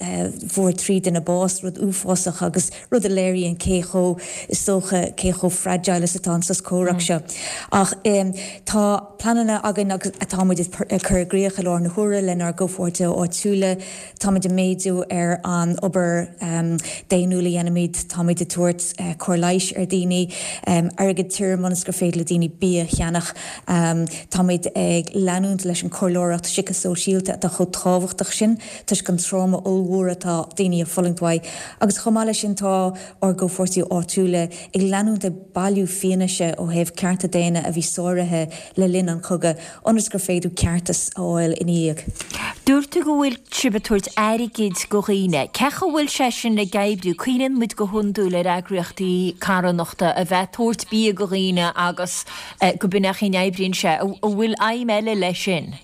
fuair 3 duine bás, rud uafásach agus rud a léiríonn cé chomh, is dócha, cé chomh fragile is atá an sos comhrac seo. Ach tá pleananna againn agus atá muid ag cur i gcrích i láthair na huaire lenár gcomhpháirtithe áitiúla. Táimid ag méadú ar an obair daonnúil a dhéanaimid, táimid ag tabhairt cóir leighis ar dhaoine, airgead tirim ionas gur féidir le daoine bia a cheannach. Táimid ag leanúint leis an chomhairleoireacht síceasóisialta atá chomh tábhachtach sin toisc an tráma ollmhór atá daoine ag fulaingt uaidh. Agus chomh maith leis sin tá ár gcomhpháirtithe áitiúla ag leanúint ag bailiú fianaise ó thaobh cearta daonna a bhí sáraithe le linn an chogaidh ionas gur féidir ceartas a fháil ina dhiaidh. Dúirt tú go bhfuil sibh ag tabhairt airgid go dhaoine. Cén chaoi a bhfuil sé sin ag oibriú? Cuimhníonn muid go hiondúil ar eagraíochtaí carthanachta a bheith ag tabhairt bia go dhaoine agus go b'in é an chaoi a n-oibríonn sé. An bhfuil aidhm eile leis sin?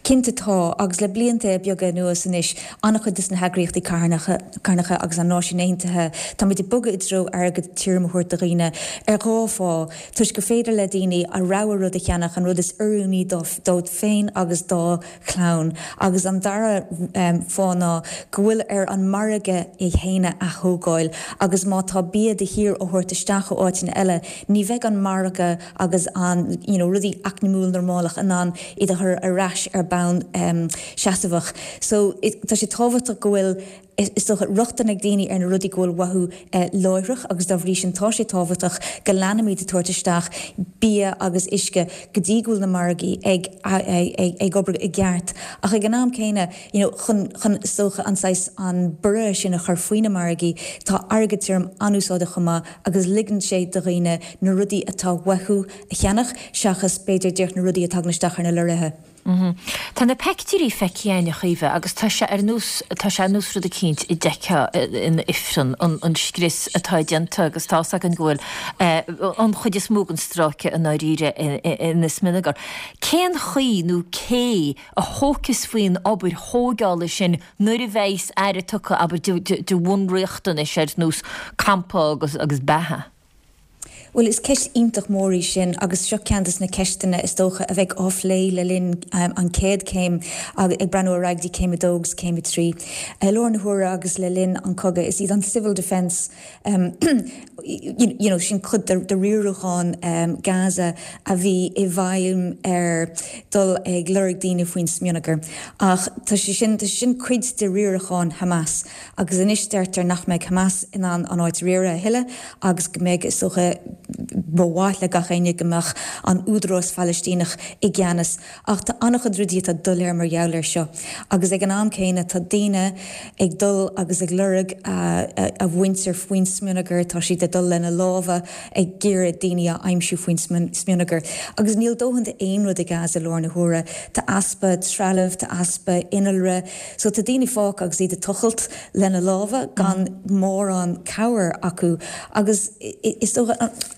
Cinnte tá, agus le blianta beaga anuas anois, an-chuid de na heagraíochtaí carthanacha agus an Náisiúin Aontaithe, táimid ag bogadh i dtreo airgead tirim a thabhairt do dhaoine, ar dhá fáth, toisc gur féidir le daoine a rogha rud a cheannach, an rud is oiriúnaí dóibh féin agus dá chlann, agus an dara fáth ná go bhfuil ar an margadh é féin a ath-thógáil, agus má tá bia de shíor á thabhairt isteach ó áiteanna eile, ní bheidh an margadh agus an you know rudaí eacnamúil normálach in ann iad a chur ar ais ar bonn seasmhach. So tá sé tábhachtach go bhfuil is dócha rochtain ag daoine ar na rudaí go bhfuil uathu láithreach agus dá bhrí sin tá sé tábhachtach go leanfaimid ag tabhairt isteach bia agus uisce go dtí go bhfuil na margaí ag ag obair i gceart. Ach ag an am céanna you know chun chun is dócha an saghas an borradh sin a chur faoi na margaí tá airgead tirim an-úsáideach chomh maith agus ligeann sé do dhaoine na rudaí atá uathu a cheannach seachas b'fhéidir díreach na rudaí a tagann isteach ar na lorraithe. Tá na peictiúirí feicthe againn, a Chaoimhe, agus tá sé ar nós, tá sé ar nós rud eicínt a d'fheicfeá in ifreann, an scrios atá déanta agus tá's againn go bhfuil an chuid is mó den stráice i ndáiríre ina smionagar. Cén chaoi nó cé a thógfas faoin obair thóigeála sin nuair a bheas aire tugtha, abair, de bhunriachtanais ar nós campa agus beatha. Bhuel, is ceist iontach mór í sin agus seo ceann de na ceisteanna is dócha a bheidh á phlé le linn an chéad chéim, ag breathnú ar aghaidh dtí céim a dó agus céim a 3. I lár na huaire agus le linn an chogaidh, is iad an Civil Defence, you know, sin cuid de riarachán Gaza a bhí i bhfeidhm ar dul ag lorg daoine faoin smionagar. Ach tá sé sin, tá sé sin cuid de riarachán Hamas. Agus anois deirtear nach mbeidh Hamas in ann an áit a riaradh a thuilleadh agus go mbeidh, is dócha, ba mhaith le gach éinne go mbeadh an Údarás Phalaistíneach i gceannas. Ach tá an-chuid rudaí atá doiléir mar gheall air seo. Agus ag an am céanna tá daoine ag dul agus ag lorg a mhuintir faoin smionagar, tá siad ag dul lena lámha ag iarraidh daoine a aimsiú faoin smionagar. Agus níl dóthain d'aon rud i Gaza i lár na huaire. Tá easpa trealaimh, tá easpa innealra. So tá daoine fágtha agus iad ag tochailt lena lámha gan mórán cabhair acu agus is dócha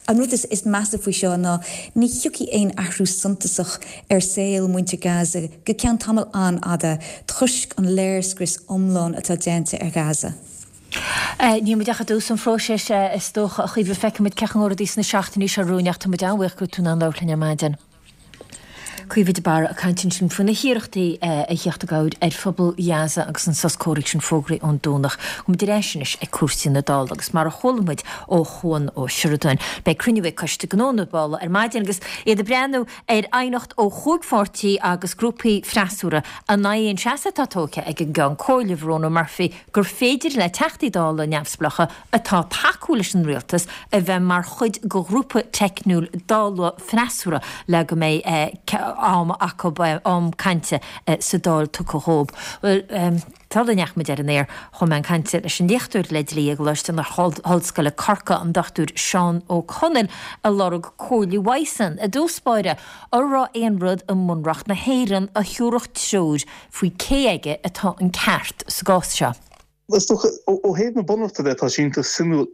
an rud is measa faoi seo ná ní thiocfaidh aon athrú suntasach ar saol muintir Gaza go ceann tamall an-fhada toisc an léirscrios iomlán atá déanta ar Ghaza. Níl muid ach i dtús an phróisis is dócha, a Chaoimhe, feicfidh muid cén chaoi a ngabhfaidh rudaí sna seachtainí seo romhainn ach tá muid an-bhuíoch go raibh tú in ann labhairt linn ar maidin. Caoimhe de Barra ag caint ansin faoi na hiarrachtaí a theacht i gcabhair ar phobal Ghaza agus an sos comhraic sin fógraithe ón Domhnach. Gabhfaidh muid ar ais anois ag cúrsaí na Dála agus mar a chuala muid ó Chuan Ó Seireadáin, beidh cruinniú ag Coiste Gnó na Dála ar maidin agus iad ag breathnú ar aighneacht ó chúig pháirtí agus grúpaí freasúra in aghaidh an seasamh atá tógtha ag an gCeann Comhairle, Verona Murphy, gur féidir le Teachtaí Dála neamhspleácha atá ag tacú leis an rialtas a bheith mar chuid de ghrúpa teicniúil Dála freasúra le go mbeidh am acu, am cainte sa Dáil tugtha dhóibh. Bhuel, sula ndeachaigh muid ar an aer, chuaigh mé chun cainte leis an léachtóir le dlí i gColáiste na hOllscoile Corcaigh, an Dr Seán Ó Conaill, ag lorg comhairle uaidhsean. I dtús báire, an raibh aon rud i mBunreacht na hÉireann a thabharfadh treoir faoi cé aige atá an ceart sa gcás seo. Is dócha, ó thaobh na Bunreachta de, tá sé iontach suimiúil.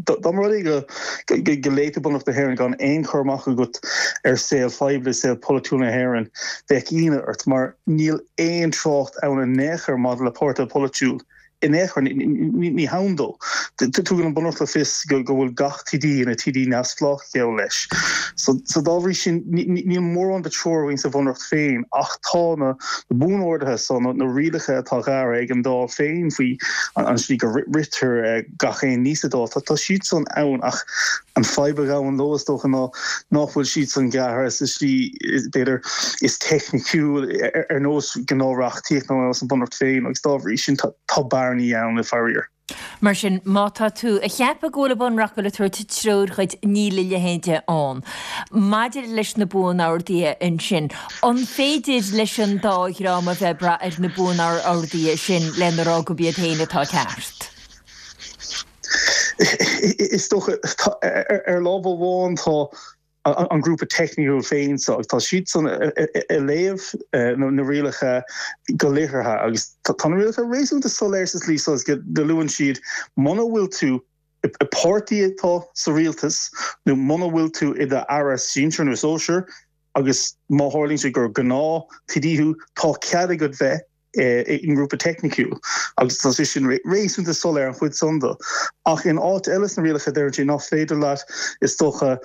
Dá mba rud é go léigh tú Bunreacht na hÉireann gan aon chur amach agat ar saol phoiblí, saol polaitiúil na hÉireann, bheadh ionadh ort, mar níl aon trácht ann in aon chor maidir le páirtithe polaitiúil. In aon chor, ní hann dó. Tugann an Bunreacht le fios go bhfuil gach TD ina TD neamhspleách, geall leis. So dá bhrí sin, níl mórán de treoir againn sa Bhunreacht féin ach tá na buan-orduithe so, na rialacha atá gearrtha ag an Dáil féin faoi an slí go ritear gach aon ní sa Dáil, tá siad san ann ach an fadhb a ghabhann leo is dócha ná nach bhfuil siad san gearrtha sa slí b'fhéidir is teicniciúil ar nós gnáth-reachtaíocht nó ar nós an Bhunreacht féin agus dá bhrí sin tá bearnaí ann, faraor. Mar sin, má tá tú ag ceapadh go bhfuil an Bunreacht ag tabhairt treoir dhuit, níl a leithéid ann. Maidir leis na Buan-Orduithe ansin, an féidir leis an dá dhream a bheith ag brath ar na Buan-Orduithe sin lena rá gurb iad féin atá ceart? Is dócha, ar lámh amháin tá an grúpa teicniúil féin so agus tá siadsan ag léamh na rialacha go liteartha agus tá na rialacha réasúnta soiléir sa slí so is go luann siad muna bhfuil tú i páirtí atá sa rialtas nó muna bhfuil tú i d'aire sinsir nó sóisir agus má tharlaíonn sé gur gnáth TD thú tá cead agat bheith i ngrúpa teicniciúil agus tá sé sin réasúnta soiléir an chuid san de. Ach in áit eile sna rialacha deireann sé nach féidir leat is dócha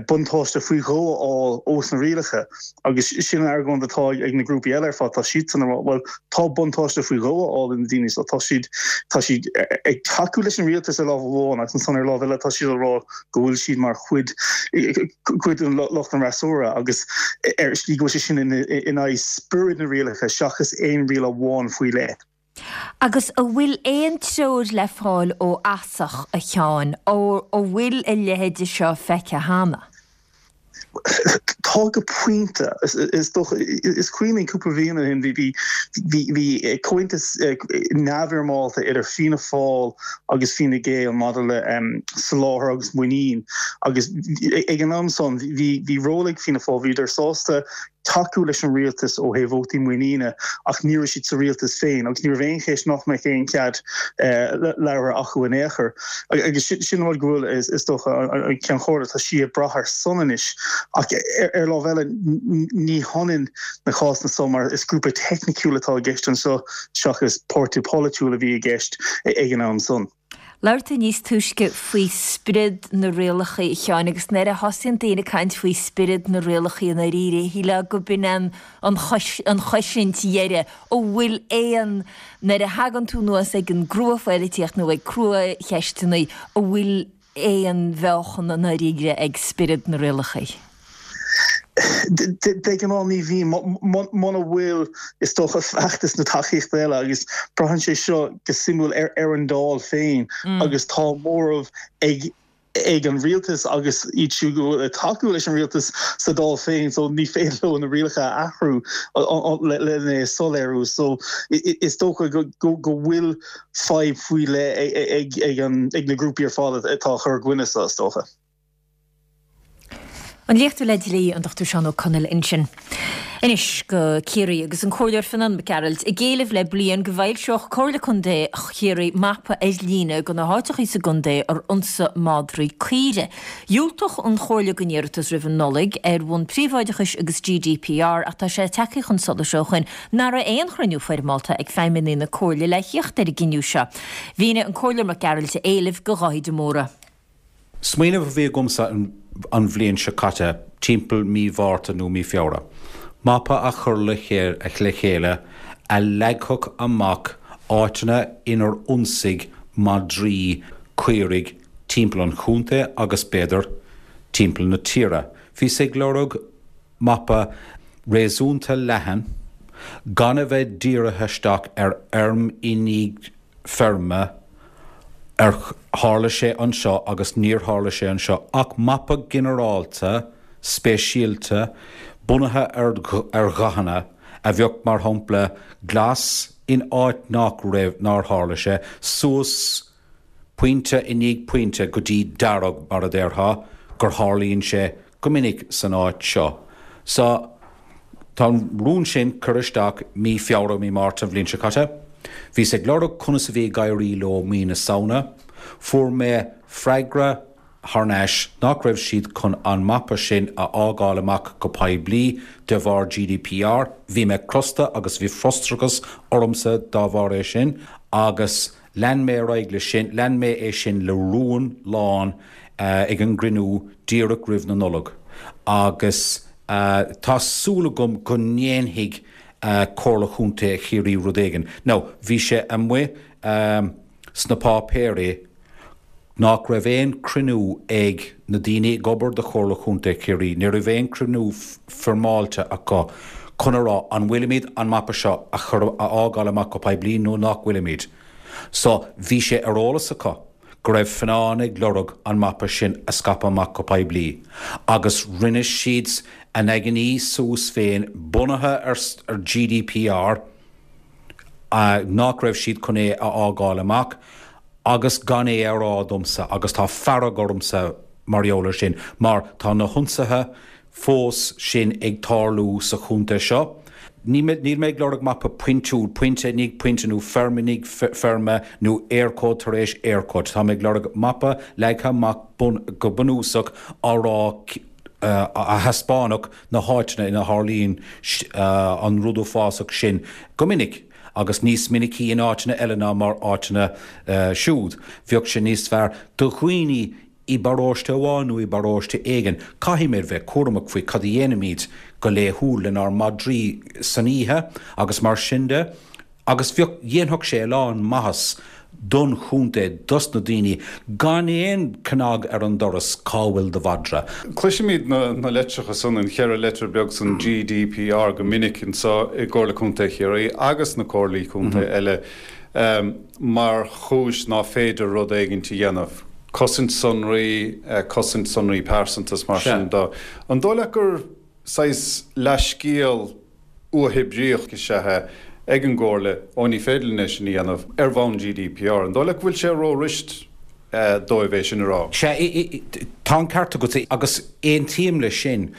buntáiste faoi dhó a fháil ós na rialacha agus sin an argóint atá ag na grúpaí eile ar fad, tá siadsan ag rá bhuel tá buntáiste faoi dhó á fháil ag na daoine so tá siad tá siad ag tacú leis an rialtas ar lámh amháin agus ansan ar lámh eile tá siad ag rá go bhfuil siad mar chuid cuid den lucht an fhreasúra agus ar shlí go bhfuil sé sin in aghaidh spiorad na rialacha seachas aon riail amháin faoi leith. Agus an bhfuil aon treoir le fáil ó fhasach, a Sheáin, an bhfuil a leithéide seo feicthe cheana? Tá go pointe. Is dócha, is cuimhin linn cúpla bliain ó shin bhí bhí comhaontas neamhfhoirmeálta idir Fianna Fáil agus Fine Gael maidir le soláthar agus muinín agus ag an am san bhí ról ag Fianna Fáil, bhíodar sásta tacú leis an rialtas ó thaobh vótaí muiníne ach ní raibh siad sa rialtas féin agus ní raibh aon cheist nach mbeadh aon chead labhartha acu in aon chor. Agus sin an rud go bhfuil is dócha an Ceann Comhairle, tá sí ag brath air san anois ach ar lámh eile ní hionann na cásanna so mar is grúpa teicniciúil atá i gceist anseo seachas páirtí polaitiúil a bhí i gceist ag an am san. Labhair tú níos túisce faoi spiorad na rialacha, a Sheáin, agus nuair a thosaíonn daoine ag caint faoi spiorad na rialacha i ndáiríre, shílfeá go b'in an an chosaint dheiridh, an bhfuil aon, nuair a thagann tú anuas ag an gcrua-phoilitíocht nó ag crua-cheisteanna, an bhfuil aon mheáchan i ndáiríre ag spiorad na rialacha? De ghnáth ní bhíonn, muna bhfuil, is dócha, feachtas nó tacaíocht eile agus braitheann sé seo go suimiúil ar an Dáil féin agus tá móramh ag ag an rialtas agus iad siúd go bhfuil ag tacú leis an rialtas sa Dáil féin so ní féidir leo na rialacha a athrú lena é a soiléiriú so is dócha go bhfuil fadhb faoi leith ag na grúpaí ar fad atá ag cur i gcoinne seo is dócha. An léachtóir le dlí, an Dr Seán Ó Conaill ansin. Anois go Ciarraí agus an Comhairleoir Fionán Mac Gearailt ag éileamh le bliain go bhfoilseodh Comhairle Contae Chiarraí mapa ar líne de na háiteachaí sa gcontae ar ionsaigh madraí caoire. Dhiúltaigh an Chomhairle don iarratas roimh an Nollaig ar bhonn príobháideachais agus GDPR ach tá sé tagtha chun solais ó shoin nach raibh aon chruinniú foirmeálta ag feidhmeannaigh na Comhairle le thíocht ar an gcinneadh seo. Mhínigh an Comhairleoir Mac Gearailt a éileamh do Dháithí de Mórdha. Smaoineamh a bhí agamsa an bhliain seo caite, timpeall mí Mhárta nó mí Feabhra, mapa a chur le chéile a leagfadh amach áiteanna inar ionsaigh madraí caoirigh timpeall an chontae agus, b'fhéidir, timpeall na tíre. Bhíos ag lorg mapa réasúnta leathan, gan a bheith dírithe isteach ar fheirm i ndiaidh feirme, ar tharla sé anseo agus níor tharla sé anseo, ach mapa ginearálta, speisialta, bunaithe ar dhathanna, a bheadh, mar shampla, glas in áit nach raibh, nár tharla sé, suas pointe i ndiaidh pointe go dtí dearg, mar a déarfá, gur tharlaíonn sé go minic san áit seo. So, tá an rún sin curtha isteach mí Feabhra, mí Márta an bhliain seo caite. Bhíos ag lorg conas a bhí ag éirí leo mí na Samhna. Fuair mé freagra thar n-ais nach raibh siad chun an mapa sin a fhágáil amach go poiblí de bharr GDPR. Bhí mé crosta agus bhí frustrachas ormsa dá bharr é sin agus Lean mé ar aghaidh leis sin, lean mé é sin le rún lán ag an gcruinniú díreach roimh na Nollag agus tá súil agam go ndéanfaidh Comhairle Chontae Chiarraí rud éigin. Now, bhí sé amuigh sna páipéirí nach raibh aon chruinniú ag na daoine ag obair do Chomhairle Chontae Chiarraí, ní raibh aon chruinniú foirmeáilte acu chun a rá an bhfuilimid an mapa seo a chur, a fhágáil amach go poiblí nó nach bhfuilimid. So, bhí sé ar eolas acu go raibh Fionnán ag lorg an mapa sin a scaipeadh amach go poiblí agus rinne siad a n-aigne suas féin bunaithe ar GDPR, nach raibh siad chun é a fhágáil amach agus gan é a rá domsa agus tá fearg ormsa mar gheall ar sin mar tá na hionsaithe fós sin ag tarlú sa chontae seo. Níl mé ag lorg mapa pointiúil, pointe i ndiaidh pointe nó feirm i ndiaidh feirme nó Eircode tar éis Eircode. Tá mé ag lorg mapa leagtha amach go bunúsach á rá a thaispeánfadh na háiteanna ina tharlaíonn an rud uafásach sin go minic, agus níos minicí in áiteanna eile ná mar áiteanna siúd. Bheadh sé níos fearr do dhaoine i bparóiste amháin nó i bparóiste éigin. Caithfimid bheith cúramach faoi cad a dhéanaimid go laethúil lenár madraí san oíche agus mar sin de. Agus bheadh, dhéanfadh sé a lán maitheas don chontae, dos na daoine, gan aon cnag ar an doras, cá bhfuil do mhadra? Cloisimid na litreacha san, an cheithre leitir beag san, GDPR, go minic anseo i gComhairle Contae Chiarraí agus na comhairlí contae eile mar chúis ná féidir rud éigint a dhéanamh. Cosaint sonraí, cosaint sonraí pearsanta is mar sin de. An dóigh leat gur saghas leathscéal uathoibríoch is ea é ag an gComhairle, ó ní féidir linn é sin a dhéanamh ar bhonn GDPR. An dóigh leat go bhfuil sé ró-rist dóibh é sin a rá? Sea, tá an ceart agat, agus aontaím leis sin,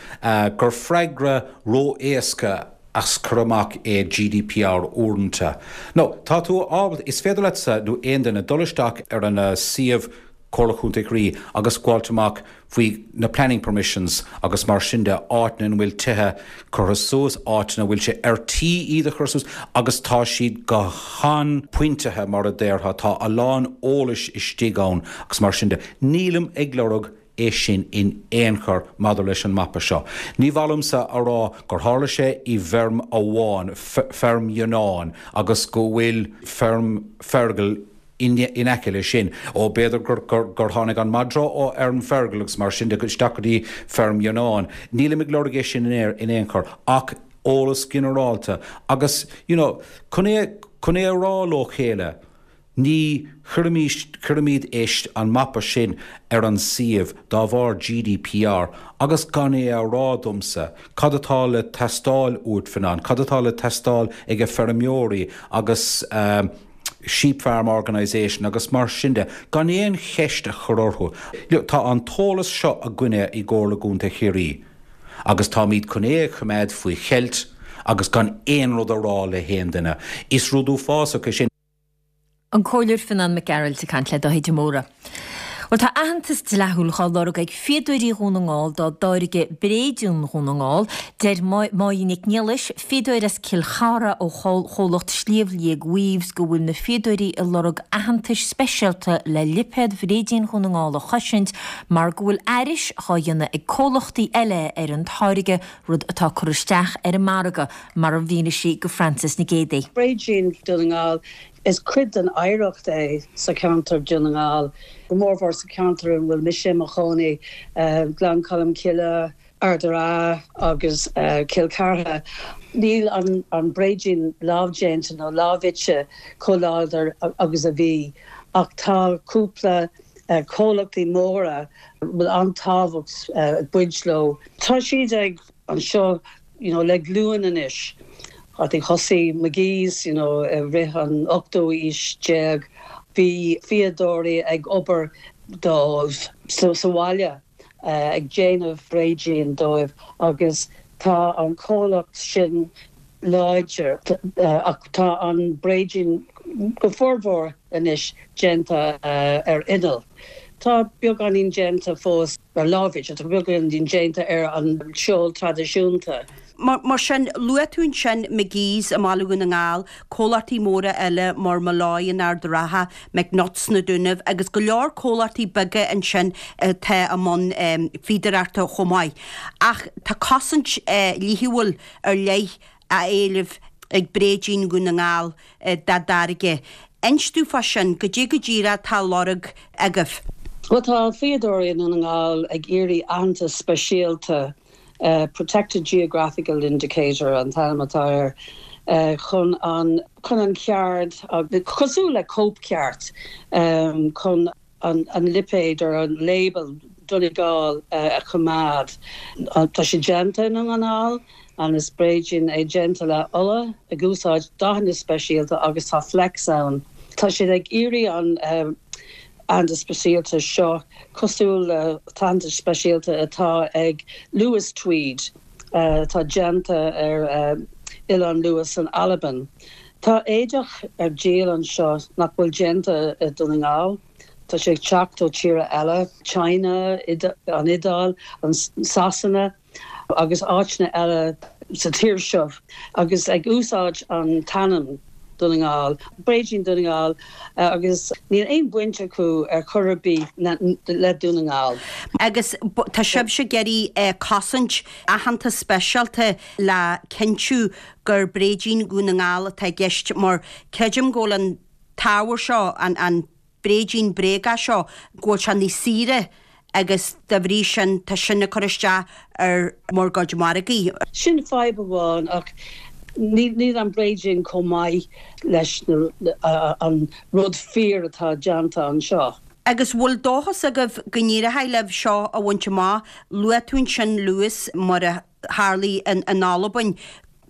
gur freagra ró-éasca as cur amach é GDPR uaireanta. Nó, tá tú ábalta, is féidir leatsa nó aon duine dul isteach ar an suíomh. Comhairle Chontae Chiarraí agus gabháilt amach faoi na planning permissions agus mar sin de, áiteanna ina bhfuil tithe curtha suas, áiteanna a bhfuil sé ar tí iad a chur suas agus tá siad go han-phointithe mar a déarfá, tá a lán eolais istigh ann agus mar sin de. Nílim ag lorg é sin in aon chor maidir leis an mapa seo. Ní mhaith liomsa a rá gur tharla sé i bhfeirm amháin, feirm Fhionáin, agus go bhfuil feirm Fergal in aice leis sin. Ó, b'fhéidir gur tháinig an madra ó fheirm Fergal agus mar sin de isteach go dtí feirm Fhionáin. Nílim ag lorg é sin in aon chor ach eolas ginearálta agus, you know, chun é, chun é a rá leo chéile. Ní chuirfimís, cuirimid é, an mapa sin ar an suíomh dá bharr GDPR agus gan é a rá domsa cad atá le teastáil uait, Fionán, cad atá le teastáil age feirmeoirí agus Sheep Farm Organisation agus mar sin de, gan aon cheist a chur orthu. Tá an t-eolas seo againne i gComhairle Contae Chiarraí agus táimid chun é a choimeád faoi cheilt agus gan aon rud a rá le haon duine. Is rud uafásach é sin. An Comhairleoir Fionán Mac Gearailt ag caint le Dáithí de Mórdha. Bhuel tá aitheantas dleathúil dhá lorg ag fíodóirí Dhún na nGall dá dtáirge Bréidín Dhún na nGall. Deir Máire Nic Niallais, fíodóir as Cill Chartha ó chomhlacht Sliabh Liag Weaves go bhfuil na fíodóirí ag lorg aitheantais speisialta le lipéad Bhréidín Dhún na nGall a chosaint mar go bhfuil aithris dhá dhéanamh ag comhlachtaí eile ar an táirge, rud atá ag cur isteach ar an margadh. mar a mhínigh sí go Frances Nic Géadaigh. Bréidín Dhún na nGall, Is cuid den oidhreacht é sa cheantar Dún na nGall, go mórmhór sa cheantar ina bhfuil mise i mo chónaí, Gleann Cholm Cille, Ard an Rátha agus Cill Chartha. Níl an bréidín lámhdéanta nó lámhfhite chomh láidir agus a bhí ach tá cúpla comhlachtaí móra a bhfuil an-tábhacht ag baint leo. Tá siad ag anseo you know le glúin anois. I think thosaigh McGee's you know i rith an ochtú aois déag. Bhí fíodóirí ag obair dóibh sa bhaile ag déanamh bréidín dóibh agus tá an comhlacht sin láidir ach tá an bréidín go formhór anois déanta ar inneall. Tá beagáinín déanta fós. ar lámhfhite, tá beagáinín déanta ar an seol traidisiúnta. Mar sin, luaigh tú ansin McGee's i mBaile Dhún na nGall, comhlachtaí móra eile mar Molloy in Ard an Rátha, McNutts sna Dúnaibh agus go leor comhlachtaí beaga ansin atá i mbun fíodóireachta chomh maith. Ach tá cosaint dhlíthiúil ar leith á éileamh ag Bréidín Dhún na nGall dá dtáirge. Inis domh fá sin, goidé go díreach atá á lorg agaibh? Bhuel, tá fíodóirí i nDún na nGall ag iarraidh aitheantas speisialta, Protected Geographical Indicator an t-ainm atá air, chun an chun an cheard, cosúil le cóipcheart, chun an lipéad or an label Donegal a choimeád. Tá sé déanta i nDún na nGall and is bréidín é déanta le olla ag úsáid dathanna speisialta agus tá flecks ann. Tá siad ag iarraidh an aitheantas speisialta seo cosúil le t-aitheantas speisialta atá ag Lewis Tweed atá déanta ar Oileán Lewis san Albain. Tá éadach ar díol anseo nach bhfuil déanta i Dún na nGall. Tá sé ag teacht ó tíortha eile, China, an Iodáil, Sasana agus áiteanna eile sa tír seo agus ag úsáid an t-ainm Dún na nGall, Bréidín Dún na nGall agus níl aon bhaint acu ar chor ar bith le Dún na nGall. Agus tá sibhse ag iarraidh cosaint, aitheantas speisialta le cinntiú gur bréidín Dhún na nGall atá i gceist mar creidim go bhfuil an t-ábhar seo, an bréidín bréagach seo, go bhfuil sé níos saoire agus dá bhrí sin tá sin ag cur isteach ar bhur gcuid margaí. Sin fadhb amháin ach níl an bréidín chomh maith leis an rud fíor atá déanta anseo. Agus bhfuil dóchas agaibh go n-éireoidh libh seo a bhaint amach? Luaigh tú ansin Lewis mar a tharlaigh in Albain.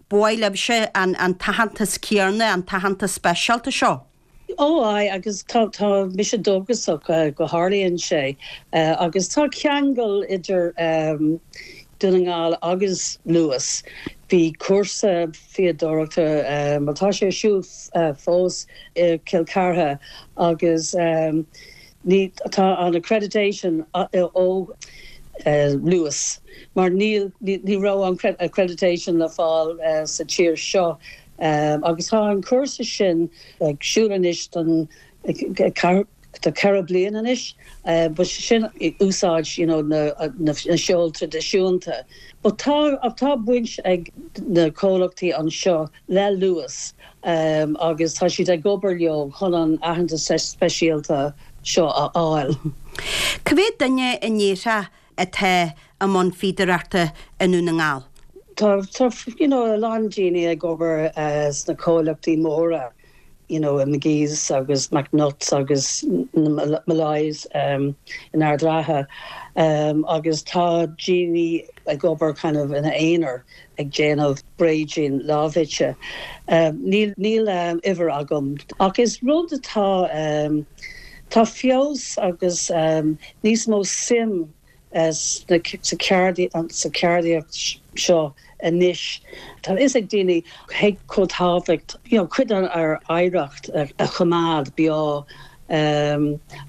Ba mhaith libhse an t-aitheantas céanna, an t-aitheantas speisialta seo. Ó aye, agus tá, tá mise dóchasach go tharlaíonn sé. Agus tá ceangal idir Dún na nGall agus Lewis. Bhí cúrsa fíodóireachta, bhuel tá sé ar siúl fós i gCill Chartha agus. Ní, tá an accreditation ó Luas mar níl, ní raibh an accreditation le fáil sa tír seo agus tá an cúrsa sin ag siúl anois don do 4 bliain anois but sin úsáid you know na na seol traidisiúnta. But tá tá baint ag na comhlachtaí anseo le Luas agus tá siad ag obair leo chun an aitheantas speisialta seo a fháil. Cá mhéad duine a ndéarfá atá i mbun fíodóireachta i nDún na nGall? Tá tá you know a lán daoine ag obair sna comhlachtaí móra you know McGee's agus McNutts agus na Molloys in Ard Ratha agus tá daoine ag obair kind of ina aonar ag déanamh bréidín lámhfhite. Níl níl uimhir agam ach is rud atá tá feabhas agus níos mó suim sa cheardaíocht seo anois. Tá a fhios ag daoine cé chomh tábhacht you know cuid dár oidhreacht a choimeád beo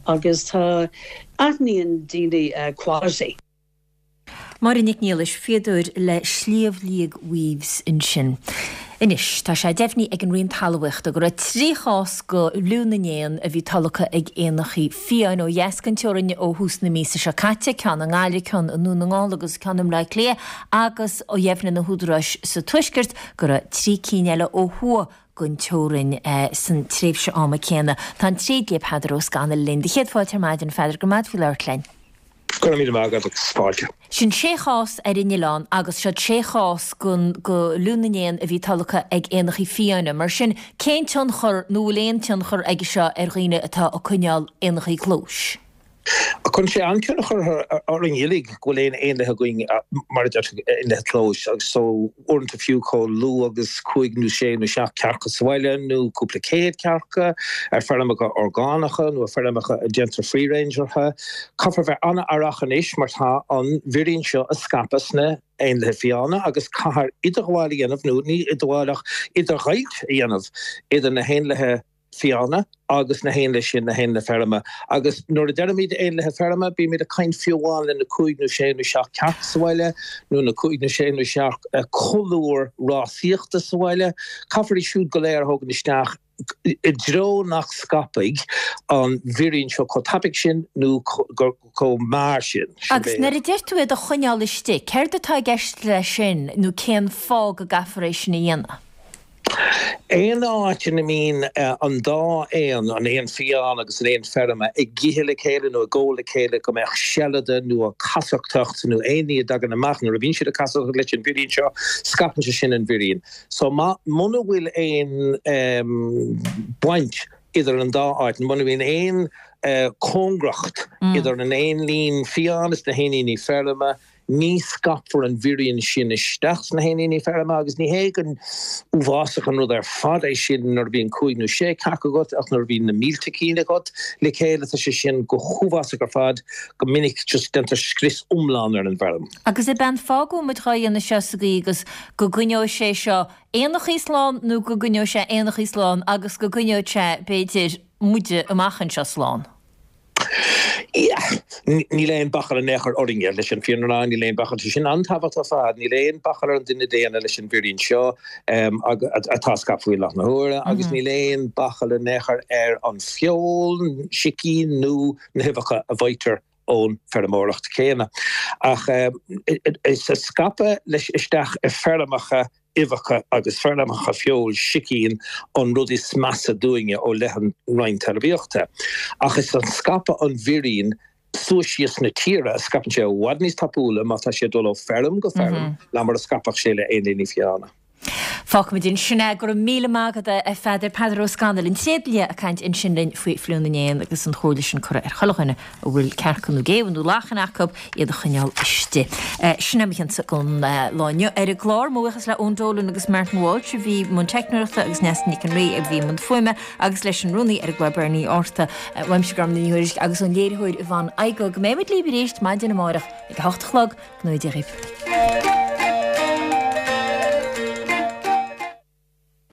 agus tá aithníonn daoine quality. Máire Nic Niallais, fíodóir le Sliabh Liag Weaves ansin. Anois, tá sé deimhnithe ag an Roinn Talmhaíochta go raibh 3 chás de fhliú na n-éan a bhí tolgtha ag éanachaí fiáin ó dheas den teorainn ó thús na míosa seo caite, ceann i nGaillimh, ceann i nDún na nGall agus ceann i mBleá Cliath agus dheimhnigh na húdaráis sa Tuaisceart go raibh 3 cinn eile ó thuaidh den teorainn san tréimhse ama céanna. Tá an tréidlia Peadar Ó Scanaill linn. Do chéad fáilte ar maidin, a Pheadair, go raibh maith agat faoi labhairt linn. Go raibh míle maith agat agus fáilte. Sin sé chás ar an oileán agus siod sé chás den fhliú na n-éan a bhí tolgtha ag éanachaí fiáine. Mar sin, cén tionchar nó bhfuil aon tionchar aige seo ar dhaoine atá ag coinneáil éanachaí clóis? Cuireann sé an-tionchar orainn uilig go bhfuil aon éanlaithe againn, mar a deir tú, éanlaithe clóis agus so uaireanta fiú chomh lú agus cúig nó sé nó seacht cearca sa bhaile nó cúpla céad cearca ar feirmeacha orgánacha nó ar feirmeacha a déantar free range orthu. Caithfear bheith an-aireach anois mar tá an mhírín seo ag scaipeadh sna éanlaithe fiáine agus caithfear idirghabháil a dhéanamh, nó ní idirghabháil ach idirdheighilt a dhéanamh idir na héanlaithe fiáine agus na héanlaithe sin, na héanlaithe feirme. Agus nuair a deirimid éanlaithe feirme, bímid ag caint fiú amháin le na cúig nó sé nó seacht cearc sa bhaile, nó na cúig nó sé nó seacht colúr rásaíochta sa bhaile. Caithfear iad siúd go léir a thógaint isteach i dtreo nach scaipfidh an mhírín seo chomh tapaidh sin nó chomh mear sin. Agus nuair a deir tú iad a choinneáil istigh, céard atá i gceist leis sin nó cén fáth go gcaithfear é sin a dhéanamh? Aon áit ina mbíonn an dá éan, an éan fiáin agus an éan feirme, ag ithe le chéile nó ag ól le chéile, go mbeadh seilide nó an chasachtach nó aon ní a dtagann amach nuair a bhíonn siad ag casachtach leis an mhírín seo, scaipeann sé sin an mhírín. So má, muna bhfuil aon baint idir an dá áit, muna mbíonn aon cóngaracht idir an éinlín fiáin is na héiníní feirme, ní scaipfear an mhírín sin isteach sna héiníní feirme agus ní hé go uafásach an rud ar fad é sin nuair a bhíonn cúig nó sé cearc agat ach nuair a bhíonn na mílte cinn agat le chéile tá sé sin go huafásach ar fad, go minic just déantar scrios iomlán ar an bhfeirm. Agus ab é an fáth go bhfuil muid dhá dhéanamh seo sa gcaoi agus go gcoinneoidh sé seo éanachaí slán nó go gcoinneoidh sé éanachaí slán agus go gcoinneoidh sé, b'fhéidir, muide amach anseo slán? Yeah. Níl aon bachall in aon chor orainne, leis an fírinne a rá, níl aon bachall, tá sin an-tábhachtach ar fad, níl aon bachall ar an duine daonna leis an mhírín seo atá ag scaipeadh faoi láthair na huaire agus níl aon bachall in aon chor ar an feoil, sicín nó na huibheacha a bhfaightear ón feirmeoireacht chéanna. Ach is ag scaipeadh leis isteach i feirmeacha uibheacha agus feirmeacha feoil sicín an rud is measa dúinne ó leith an Roinn Talmhaíochta. Ach is an scaipeadh an mhírín suas síos na tíre a scaipeann sé i bhfad níos tapúla má tá sé ag dul ó feirm go feirm ná mar a scaipfeadh sé le éinlíní fiáine. Fágfaimid ansin é. Go raibh míle maith agat, a Pheadair. Peadar Ó Scanaill, an tréidlia, ag caint ansin linn faoi fhliú na n-éan agus an chomhairle sin curtha ar chuile dhuine a bhfuil cearca nó géabha nó lachain acu, iad a choinneáil istigh. Sin é mo chionsa don lá inniu ar an gclár. Mo bhuíochas le Eoin Dolan agus Martin Walsh a bhí i mbun teicneoireachta agus Neasa Nic an Rí a bhí i mbun fuaime agus leis an rúnaí ar an gclár Bernie Arthur. Uaimse Gormfhlaith Ní Thuairisg agus ón léiritheoir Yvonne Igoe. Go mbeidh muid libh arís maidin amárach ag a hocht a chlog. Go ngnóthaí Dia dhaoibh.